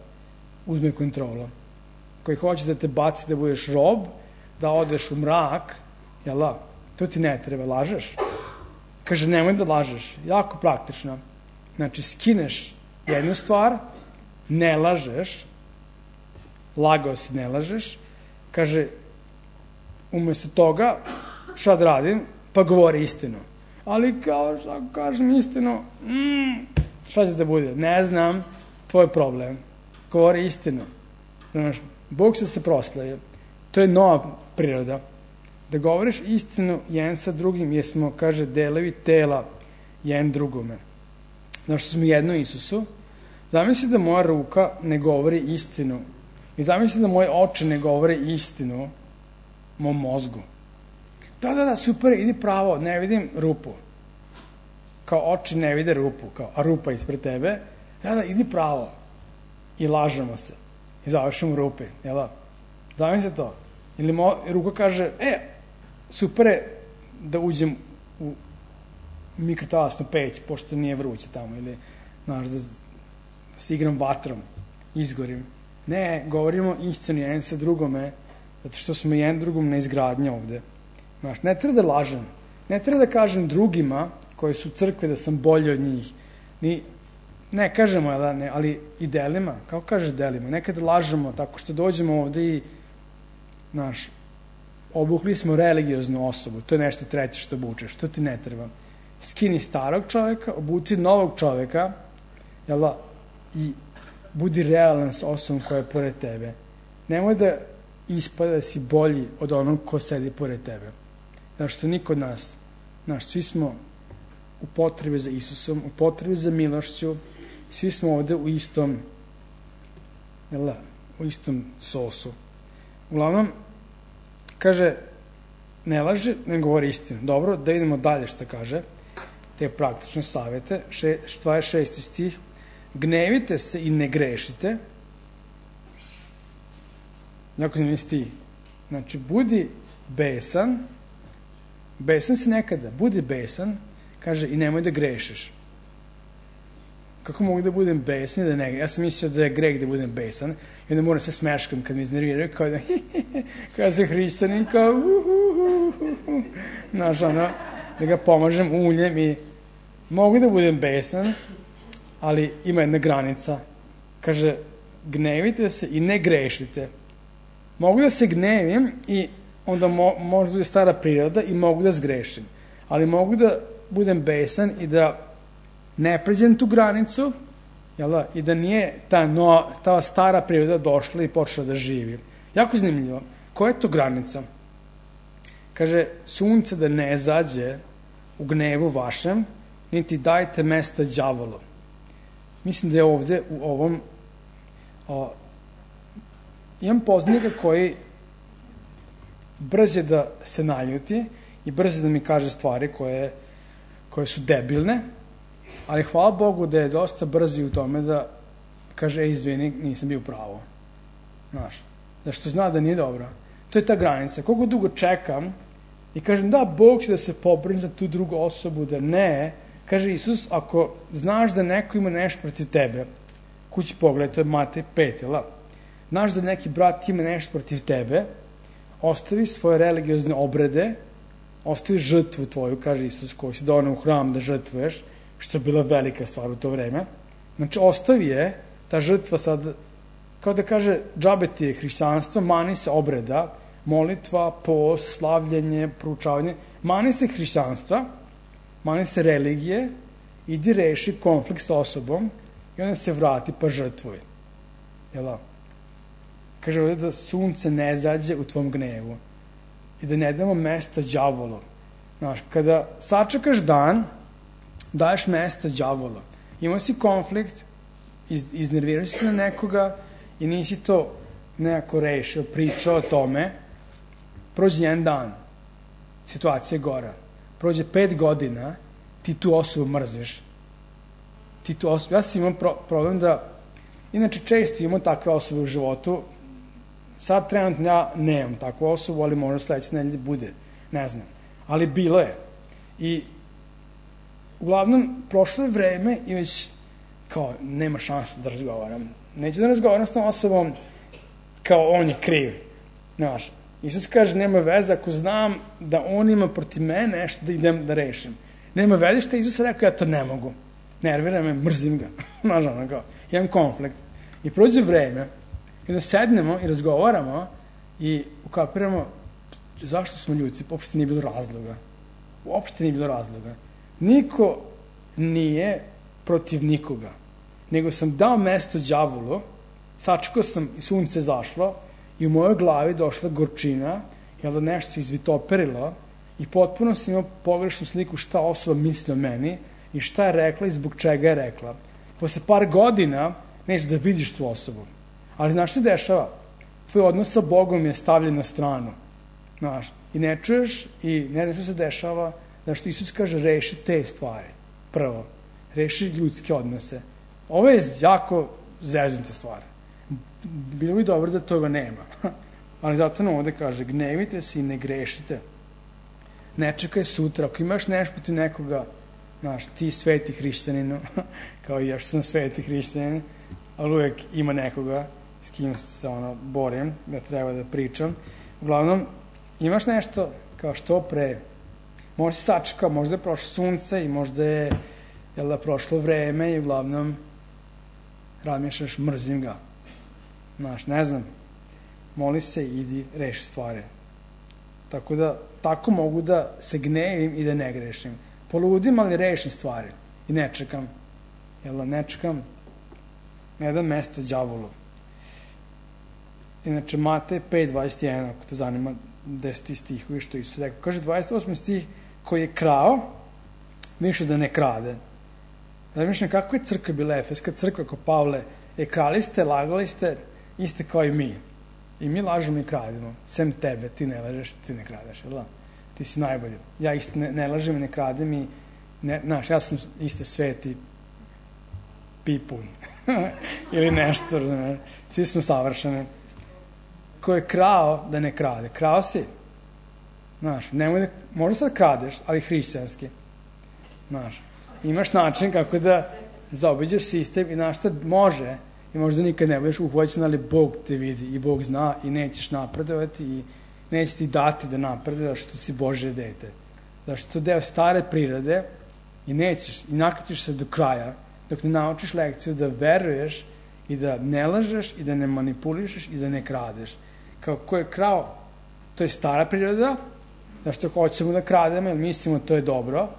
uzme kontrolu. Koji hoće da te baci da budeš rob, da odeš u mrak, jel da? To ti ne treba, lažeš. Kaže, nemoj da lažeš. Jako praktično. Znači, skineš jednu stvar, ne lažeš, lagao si, ne lažeš, kaže, umjesto toga, šta da radim? Pa govori istinu. Ali kao šta kažem istinu, mm, šta će da bude? Ne znam, tvoj problem. Govori istinu. Znaš, Bog će se proslavi. To je nova priroda. Da govoriš istinu jedan sa drugim, jer smo, kaže, delovi tela jedan drugome. Znaš, što smo jedno Isusu, zamisli da moja ruka ne govori istinu. I zamisli da moje oči ne govore istinu mom mozgu. Da, da, da, super, idi pravo, ne vidim rupu. Kao oči ne vide rupu, kao, a rupa ispred tebe. Da, da, idi pravo. I lažemo se. I završimo rupe, jel da? Zamisli to. Ili mo, ruka kaže, e, super je da uđem u mikrotalasnu peć, pošto nije vruće tamo, ili, znaš, da se igram vatrom, izgorim. Ne, govorimo istinu jedan sa drugome, zato što smo jedan drugom na izgradnje ovde. Znaš, ne treba da lažem. Ne treba da kažem drugima koji su u crkvi da sam bolji od njih. Ni, ne kažemo, da, ne, ali i delima, kako kažeš delima. Nekada lažemo tako što dođemo ovde i, znaš, obukli smo religioznu osobu. To je nešto treće što obučeš. To ti ne treba. Skini starog čoveka, obuci novog čoveka, jel da, i budi realan s osobom koja je pored tebe. Nemoj da ispada da si bolji od onog ko sedi pored tebe. Znaš, što niko od nas, znaš, svi smo u potrebi za Isusom, u potrebi za milošću, svi smo ovde u istom, jel da, u istom sosu. Uglavnom, kaže, ne laže, ne govori istinu. Dobro, da idemo dalje šta kaže, te praktične savjete, še, dvadeset šesti stih, gnevite se i ne grešite. Jako zanimljiv stih. Znači, budi besan, besan si nekada, budi besan, kaže, i nemoj da grešiš. Kako mogu da budem besan i da ne grešim? Ja sam mislio da je greh da budem besan i onda moram se smeškam kad mi iznerviraju, kao da kao se hrišćanin, kao uhuhuhuhu. Znaš, ono, da ga pomažem uljem i mogu da budem besan, ali ima jedna granica. Kaže, gnevite se i ne grešite. Mogu da se gnevim i onda mo, možda bude stara priroda i mogu da zgrešim. Ali mogu da budem besan i da ne pređem tu granicu, jel da, i da nije ta, no, ta stara priroda došla i počela da živi. Jako zanimljivo. Koja je to granica? Kaže, sunce da ne zađe u gnevu vašem, niti dajte mesta đavolu. Mislim da je ovde u ovom o, imam poznanika koji brže da se naljuti i brže da mi kaže stvari koje, koje su debilne, ali hvala Bogu da je dosta brzi u tome da kaže, ej, izvini, nisam bio pravo. Znaš, zašto zna da nije dobro. To je ta granica. Koliko dugo čekam i kažem, da, Bog će da se pobrini za tu drugu osobu, da ne, kaže Isus, ako znaš da neko ima nešto protiv tebe, kući pogledaj, to je Matej pet, jel da? Znaš da neki brat ima nešto protiv tebe, ostavi svoje religiozne obrede, ostavi žrtvu tvoju, kaže Isus, koju si donao u hram da žrtvuješ, što je bila velika stvar u to vreme. Znači, ostavi je, ta žrtva sad, kao da kaže, džabe ti je hrišćanstvo, mani se obreda, molitva, post, slavljenje, proučavanje, mani se hrišćanstva, mani se religije, idi reši konflikt sa osobom i onda se vrati pa žrtvuj. Jel' kaže ovdje da sunce ne zađe u tvom gnevu i da ne damo mesta đavolu. Znaš, kada sačekaš dan, daješ mesta đavolu. Imao si konflikt, iz, iznervirao si na nekoga i nisi to nekako rešio, pričao o tome, prođe jedan dan, situacija je gora. Prođe pet godina, ti tu osobu mrziš. Ti tu osobu, ja sam imao pro, problem da, inače često imamo takve osobe u životu, sad trenutno ja nemam takvu osobu, ali možda sledeće nedelje bude, ne znam. Ali bilo je. I uglavnom, prošlo je vreme i već kao, nema šanse da razgovaram. Neću da razgovaram s tom osobom kao on je kriv. Znaš, Isus kaže, nema veze ako znam da on ima protiv mene nešto da idem da rešim. Nema veze što je Isus rekao, ja to ne mogu. Nervira me, mrzim ga. Znaš, ono kao, imam konflikt. I prođe vreme, i da sednemo i razgovaramo i ukapiramo zašto smo ljuti, uopšte nije bilo razloga. Uopšte nije bilo razloga. Niko nije protiv nikoga, nego sam dao mesto đavolu, sačekao sam i sunce zašlo i u mojoj glavi došla gorčina, jel da nešto izvitoperilo i potpuno sam imao pogrešnu sliku šta osoba misli o meni i šta je rekla i zbog čega je rekla. Posle par godina nećeš da vidiš tu osobu. Ali znaš što se dešava? Tvoj odnos sa Bogom je stavljen na stranu. Znaš, i ne čuješ i ne znaš što se dešava, da što Isus kaže reši te stvari. Prvo, reši ljudske odnose. Ovo je jako zeznute stvari. Bilo bi dobro da toga nema. Ali zato nam ovde kaže, gnevite se i ne grešite. Ne čekaj sutra. Ako imaš nešto protiv nekoga, znaš, ti sveti hrišćaninu, kao i ja što sam sveti hrišćanin, ali uvek ima nekoga s kim se ono, borim, da treba da pričam. Uglavnom, imaš nešto kao što pre, možda si sačekao, možda je prošlo sunce i možda je, jel da, prošlo vreme i uglavnom razmišljaš, mrzim ga. Znaš, ne znam, moli se i idi reši stvari. Tako da, tako mogu da se gnevim i da ne grešim. Poludim, ali rešim stvari. I ne čekam. Jel da, ne čekam. Ne dam mesta đavolu. Inače, Matej pet dvadeset jedan, ako te zanima, deseti stihovi što Isus rekao. Kaže dvadeset osmi stih, koji je krao, više da ne krade. Razmišljam, kako je crkva bila Efeska crkva kao Pavle? E, krali ste, lagali ste, iste kao i mi. I mi lažemo i krademo. Sem tebe, ti ne lažeš, ti ne kradeš, jel da? Ti si najbolji. Ja isto ne, ne lažem i ne kradem i, ne, znaš, ja sam isto sveti pipun. Ili nešto, ne, svi smo savršeni. Ko je krao da ne krade? Krao si. Znaš, nemoj da, možda sad kradeš, ali hrišćanski. Znaš, imaš način kako da zaobiđeš sistem i znaš šta može i možda nikad ne budeš uhvaćen, ali Bog te vidi i Bog zna i nećeš napredovati i neće ti dati da napreduješ što si Božje dete. Zašto to deo stare prirode i nećeš i nakatiš se do kraja dok ne naučiš lekciju da veruješ i da ne lažeš i da ne manipulišeš i da ne kradeš. Kao ko je krao, to je stara priroda, zašto hoćemo da krademo, jer mislimo to je dobro,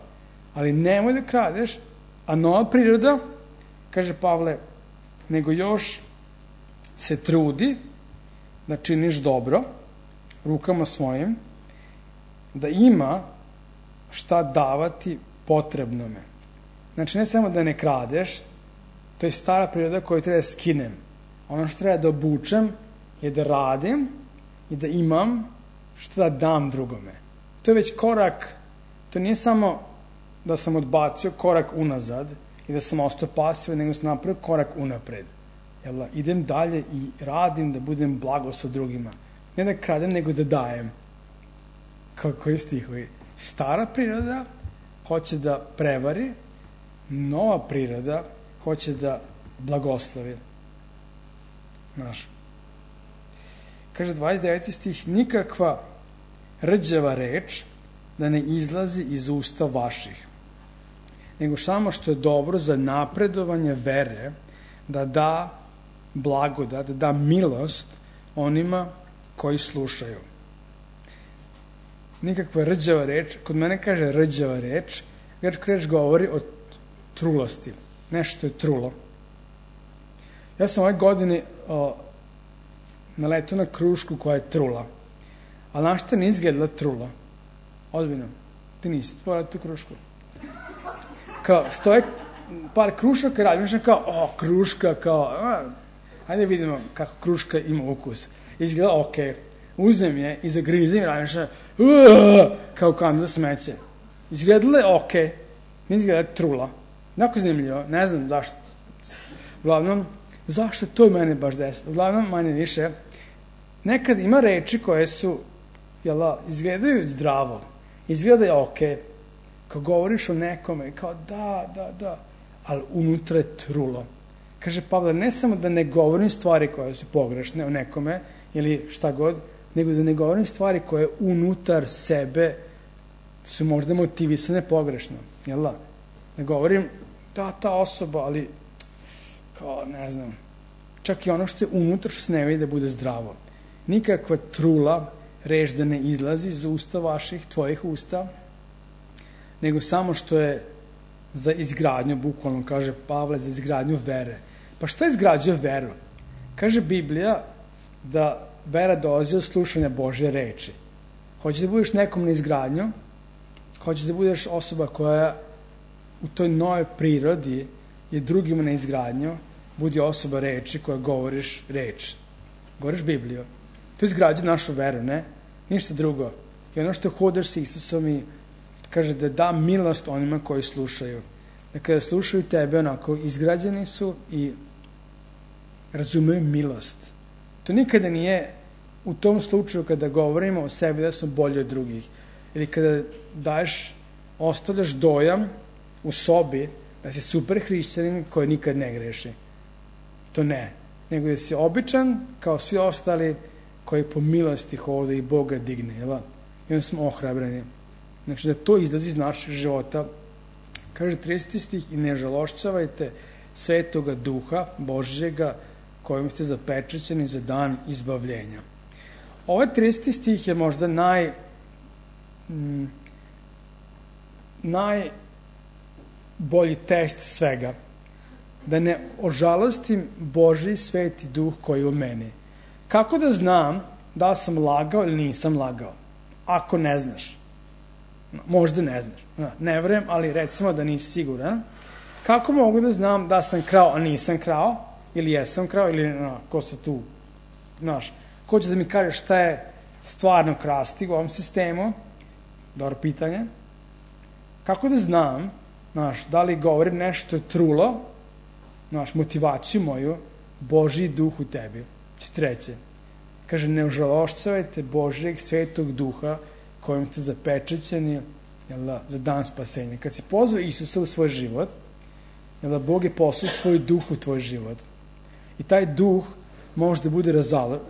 ali nemoj da kradeš, a nova priroda, kaže Pavle, nego još se trudi da činiš dobro rukama svojim, da ima šta davati potrebnome. Znači, ne samo da ne kradeš, to je stara priroda koju treba da skinem. Ono što treba da obučem je da radim i da imam što da dam drugome. To je već korak, to nije samo da sam odbacio korak unazad i da sam ostao pasivan, nego sam napravio korak unapred. Jel, idem dalje i radim da budem blago sa drugima. Ne da kradem, nego da dajem. Kako je stihovi? Stara priroda hoće da prevari, nova priroda hoće da blagoslovi. Znaš. Kaže dvadeset deveti stih, nikakva rđava reč da ne izlazi iz usta vaših, nego samo što je dobro za napredovanje vere, da da blagodat, da da milost onima koji slušaju. Nikakva rđava reč, kod mene kaže rđava reč, grčka reč govori o trulosti. Nešto je trulo. Ja sam ove godine o, naletao na krušku koja je trula. Ali znaš šta nije izgledala trula? Ozbiljno. Ti nisi pogledao tu krušku. Kao, stoje par krušaka i radim kao, o, kruška, kao, a, ajde vidimo kako kruška ima ukus. Izgleda okej. Okay. Uzem je i zagrizem i radim što, kao kandu za smeće. Izgledala je okej. Okay. Nije izgledala trula. Jako zanimljivo, ne znam zašto. Uglavnom, zašto to mene baš desilo? Uglavnom, manje više, nekad ima reči koje su, jela, izgledaju zdravo. Izgledaju okej. Okay. Kao govoriš o nekome, kao da, da, da, ali unutra je trulo. Kaže Pavle, ne samo da ne govorim stvari koje su pogrešne o nekome, ili šta god, nego da ne govorim stvari koje unutar sebe su možda motivisane pogrešno. Jel da? Ne govorim da, ta osoba, ali kao, ne znam, čak i ono što je unutar što se ne vidi da bude zdravo. Nikakva trula, reč da ne izlazi iz usta vaših, tvojih usta, nego samo što je za izgradnju, bukvalno kaže Pavle, za izgradnju vere. Pa šta izgrađuje veru? Kaže Biblija da vera dolazi od slušanja Božje reči. Hoćeš da budeš nekom na izgradnju, hoćeš da budeš osoba koja u toj novoj prirodi je drugima na izgradnju, budi osoba reči koja govoriš reč. Govoriš Bibliju. To izgrađuje našu veru, ne? Ništa drugo. I ono što hodaš s Isusom i kaže da da milost onima koji slušaju. Da kada slušaju tebe, onako, izgrađeni su i razumeju milost. To nikada nije u tom slučaju kada govorimo o sebi da smo bolji od drugih. Ili kada daješ, ostavljaš dojam u sobi da si super hrišćanin koji nikad ne greši. To ne. Nego da si običan kao svi ostali koji po milosti hode i Boga digne. Jel? I onda smo ohrabreni. Znači da to izlazi iz našeg života. Kaže trideseti stih, i ne žalošćavajte Svetoga Duha Božjega kojim ste zapečećeni za dan izbavljenja. Ovaj trideseti stih je možda naj mm, najbolji test svega. Da ne ožalostim Božji sveti duh koji je u meni. Kako da znam da sam lagao ili nisam lagao? Ako ne znaš. Možda ne znaš. Ne verujem, ali recimo da nisi siguran. Kako mogu da znam da sam krao, a nisam krao? Ili jesam krao? Ili no, ko se tu, znaš, ko će da mi kaže šta je stvarno krasti u ovom sistemu? Dobro pitanje. Kako da znam, znaš, da li govorim nešto je trulo, znaš, motivaciju moju, Božji duh u tebi. Treće. Kaže, ne ožalošćavajte Božjeg svetog duha kojim ste zapečećeni, jel da, za dan spasenja. Kad si pozvao Isusa u svoj život, jel da, Bog je poslao svoj duh u tvoj život. I taj duh može da bude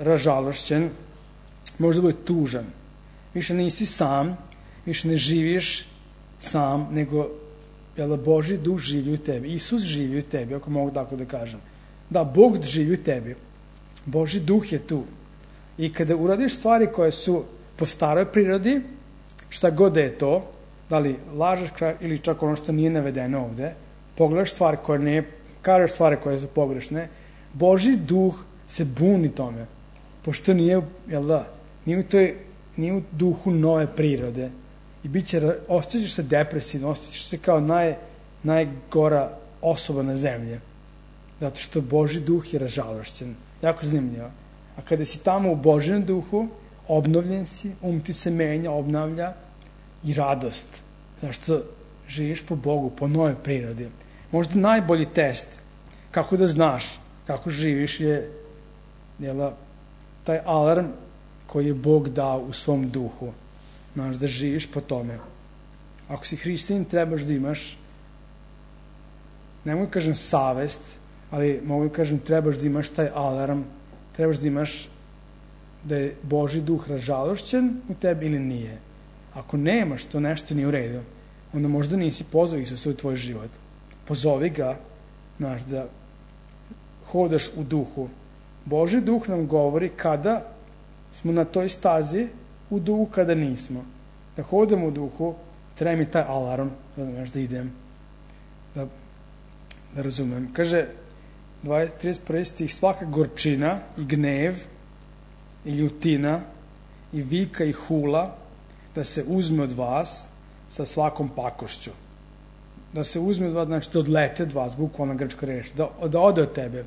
ražalošćen, može da bude tužan. Više nisi sam, više ne živiš sam, nego jel da, Božji duh živi u tebi. Isus živi u tebi, ako mogu tako da kažem. Da, Bog živi u tebi. Božji duh je tu. I kada uradiš stvari koje su po staroj prirodi, šta god da je to, da li lažeš ili čak ono što nije navedeno ovde, pogledaš stvari koje ne, kažeš stvari koje su pogrešne, Božji duh se buni tome, pošto nije, jel da, nije u, toj, nije u duhu nove prirode i bit će, osjećaš se depresivno, osjećaš se kao naj, najgora osoba na zemlji, zato što Božji duh je ražalošćen, jako zanimljivo. A kada si tamo u Božjem duhu, obnovljen si, um ti se menja, obnavlja i radost. Zašto živiš po Bogu, po novoj prirodi. Možda najbolji test kako da znaš kako živiš je jela, taj alarm koji je Bog dao u svom duhu. Znaš da živiš po tome. Ako si hrišćanin, trebaš da imaš, ne mogu kažem savest, ali mogu kažem trebaš da imaš taj alarm, trebaš da imaš da je Božji duh ražalošćen u tebi ili nije. Ako nemaš, to nešto nije u redu. onda možda nisi pozvao Isusa u tvoj život. Pozovi ga, znaš, da hodaš u duhu. Božji duh nam govori kada smo na toj stazi u duhu, kada nismo. Da hodamo u duhu, treba mi taj alarm, znaš, da idem, da, da razumem. Kaže, trideset prvi stih, svaka gorčina i gnev i ljutina i vika i hula da se uzme od vas sa svakom pakošću. Da se uzme od vas, znači da odlete od vas, bukvalna grčka reč, da, da ode od tebe,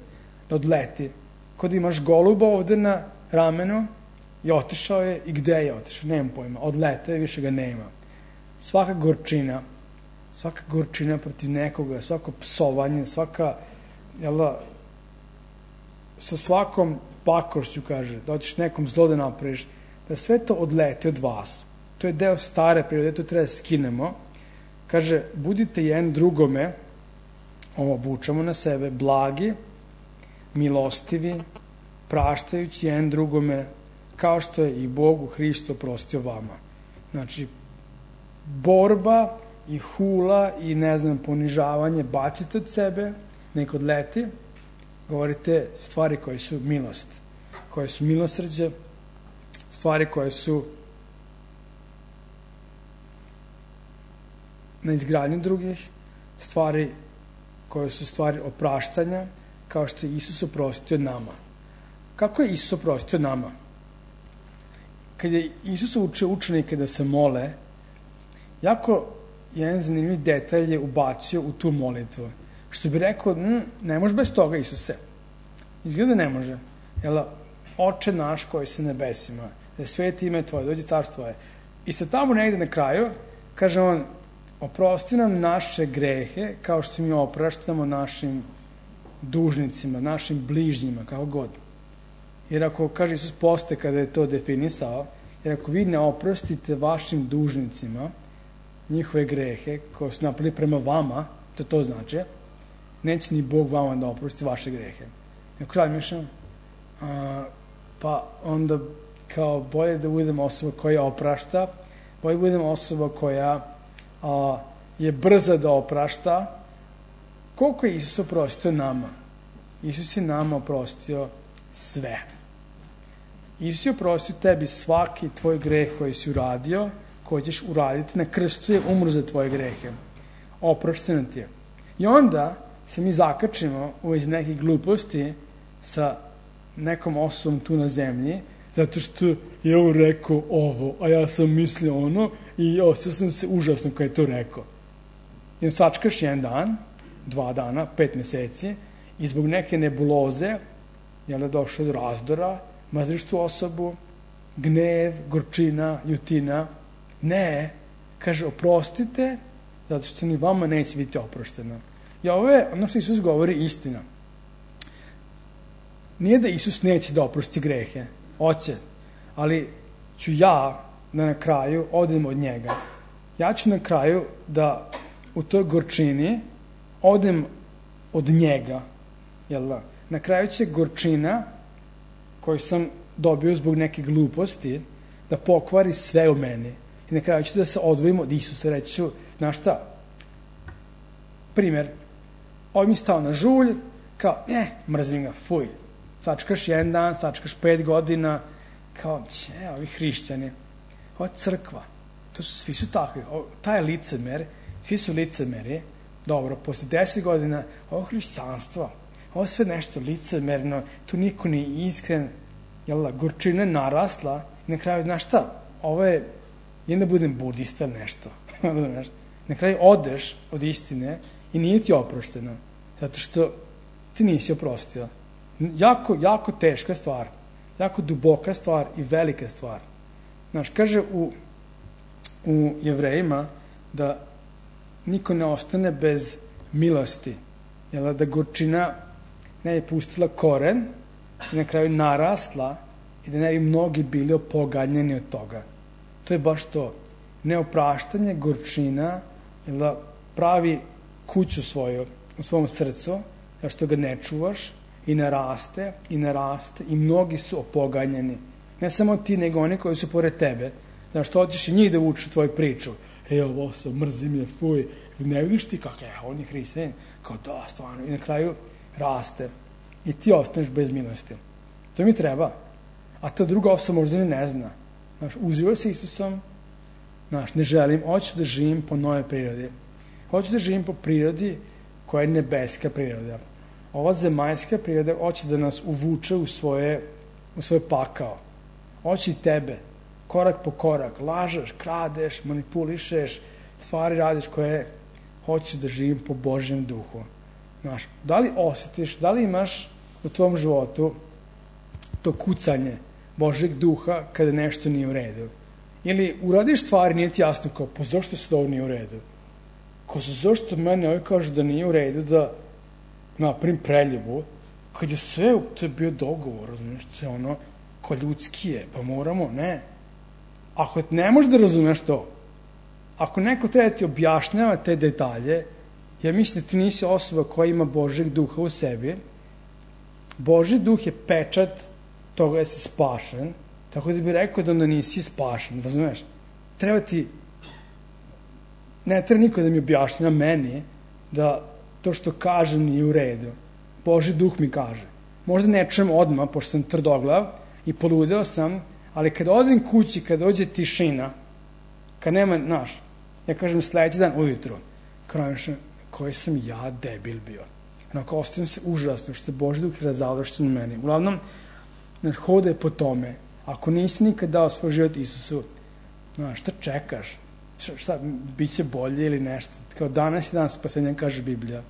da odleti. Kod imaš goluba ovde na ramenu i otišao je, i gde je otišao, nemam pojma, odletao je, više ga nema. Svaka gorčina, svaka gorčina protiv nekoga, svako psovanje, svaka, jel da, sa svakom pakošću, kaže, da otiš nekom zlo da napraviš, da sve to odlete od vas. To je deo stare prirode, to treba da skinemo. Kaže, budite jedan drugome, ovo obučamo na sebe, blagi, milostivi, praštajući jedan drugome, kao što je i Bog u Hristu oprostio vama. Znači, borba i hula i, ne znam, ponižavanje bacite od sebe, nek odleti, govorite stvari koje su milost, koje su milosrđe, stvari koje su na izgradnju drugih, stvari koje su stvari opraštanja, kao što je Isus oprostio nama. Kako je Isus oprostio nama? Kad je Isus učio učenike da se mole, jako jedan zanimljiv detalj je ubacio u tu molitvu. Što bi rekao, ne može bez toga, Isuse. Izgleda ne može. Jel, Oče naš koji se nebesima, da je sveti ime tvoje, dođe carstvo tvoje. I sad tamo negde na kraju, kaže on, oprosti nam naše grehe, kao što mi opraštamo našim dužnicima, našim bližnjima, kako god. Jer ako, kaže Isus posle kada je to definisao, jer ako vi ne oprostite vašim dužnicima njihove grehe koje su napravili prema vama, to to znači, neće ni Bog vama da oprosti vaše grehe. I kralj mišljam, pa onda kao bolje da budem osoba koja oprašta, bolje da budem osoba koja a, je brza da oprašta. Koliko je Isus oprostio nama? Isus je nama oprostio sve. Isus je oprostio tebi svaki tvoj greh koji si uradio, koji ćeš uraditi, na krstu je umro za tvoje grehe. Oprošteno ti je. I onda se mi zakačimo u iz nekih gluposti sa nekom osobom tu na zemlji, zato što je on rekao ovo, a ja sam mislio ono i ostao sam se užasno kada je to rekao. I on sačkaš jedan dan, dva dana, pet meseci i zbog neke nebuloze, jel da došlo do razdora, mazriš tu osobu, gnev, gorčina, ljutina. Ne, kaže, oprostite, zato što ni vama neće biti oprošteno. I ovo je, ono što Isus govori, istina. Nije da Isus neće da oprosti grehe, hoće, ali ću ja da na kraju odem od njega. Ja ću na kraju da u toj gorčini odem od njega. Jel da? Na kraju će gorčina koju sam dobio zbog neke gluposti da pokvari sve u meni. I na kraju ću da se odvojim od Isusa. Reći ću, znaš šta? Primjer, ovaj mi stao na žulj, kao, eh, mrzim ga, fuj. Sačkaš jedan dan, sačkaš pet godina, kao, če, ovi hrišćani, ova crkva, to su, svi su takvi, o, taj licemer, svi su licemeri, dobro, posle deset godina, ovo hrišćanstvo, ovo sve nešto licemerno, tu niko nije iskren, jel da, gorčina je narasla, i na kraju, znaš šta, ovo je, jedan da budem budista nešto, na kraju odeš od istine i nije ti oprošteno, zato što ti nisi oprostio. Jako, jako teška stvar, jako duboka stvar i velika stvar. Znaš, kaže u, u Jevrejima da niko ne ostane bez milosti, jel da gorčina ne je pustila koren i na kraju narasla i da ne bi mnogi bili opoganjeni od toga. To je baš to. Neopraštanje, gorčina, jel da pravi kuću svoju u svom srcu, jer što ga ne čuvaš i naraste i naraste i mnogi su opoganjeni. Ne samo ti, nego oni koji su pored tebe. Znaš, što hoćeš i njih da uče tvoju priču. E, ovo se, mrzim je, fuj, ne vidiš ti kako je, on je hrišćanin, kao da, stvarno, i na kraju raste. I ti ostaneš bez milosti. To mi treba. A ta druga osoba možda ni ne zna. Znaš, uživaj se Isusom, znaš, ne želim, hoću da živim po nove prirodi. Hoću da živim po prirodi koja je nebeska priroda. Ova zemaljska priroda hoće da nas uvuče u svoje, u svoj pakao. Hoće i tebe, korak po korak, lažeš, kradeš, manipulišeš, stvari radiš koje hoću da živim po Božjem duhu. Znaš, da li osjetiš, da li imaš u tvom životu to kucanje Božjeg duha kada nešto nije u redu? Ili uradiš stvari, nije ti jasno kao, pa zašto se to ovo nije u redu? Kao, zašto mene ovaj kaže da nije u redu da napravim preljubu, kad je sve, to je bio dogovor, razumiješ, to je ono, ko ljudski je, pa moramo, ne. Ako ne možeš da razumeš to, ako neko treba da ti objašnjava te detalje, ja mislim da ti nisi osoba koja ima Božjeg duha u sebi. Božji duh je pečat toga da si spašen, tako da bi rekao da onda nisi spašen, razumeš? Treba ti, ne treba niko da mi objašnjava meni da to što kažem nije u redu. Božji duh mi kaže. Možda ne čujem odmah, pošto sam tvrdoglav i poludeo sam, ali kad odem kući, kad dođe tišina, kad nema, znaš, ja kažem sledeći dan ujutru, krajem koji sam ja debil bio. Onako, ostavim se užasno, što se Božji duh razavlja što u meni. Uglavnom, znaš, hode po tome. Ako nisi nikad dao svoj život Isusu, znaš, šta čekaš? Šta, šta bit će bolje ili nešto? Kao danas i dan spasenja, kaže Biblija.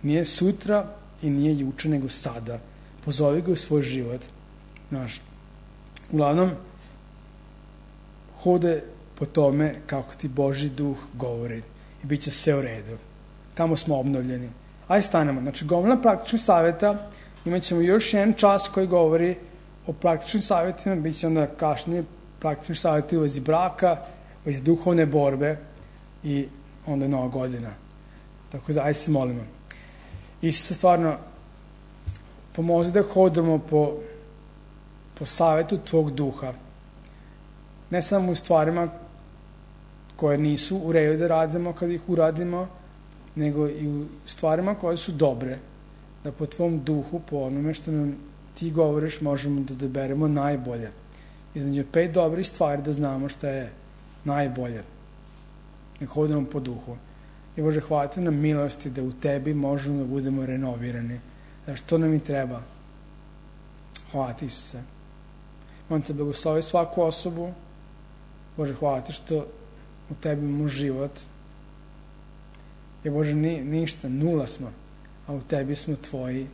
Nije sutra i nije juče, nego sada. Pozovi ga u svoj život. Znaš, uglavnom, hode po tome kako ti Božji duh govori i bit će sve u redu. Tamo smo obnovljeni. Ajde stanemo. Znači, gomila praktičnih savjeta, imat ćemo još jedan čas koji govori o praktičnim savjetima, bit će onda kašnije praktičnih savjeta u vezi braka, u vezi duhovne borbe i onda nova godina. Tako da, ajde se molimo. Isuse, stvarno, pomozi da hodamo po, po savjetu tvog duha. Ne samo u stvarima koje nisu u redu da radimo kad ih uradimo, nego i u stvarima koje su dobre, da po tvom duhu, po onome što nam ti govoriš, možemo da odaberemo najbolje. Između pet dobrih stvari da znamo šta je najbolje. Nek hodimo po duhu. I Bože, hvala ti nam milosti da u tebi možemo da budemo renovirani. Da što nam i treba. Hvala ti, Isuse. On te blagoslovi svaku osobu. Bože, hvala ti što u tebi imamo život. I Bože, ni, ništa, nula smo, a u tebi smo tvoji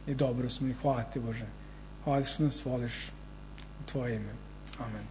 i dobro smo i hvala ti, Bože. Hvala ti što nas voliš u tvoje ime. Amen.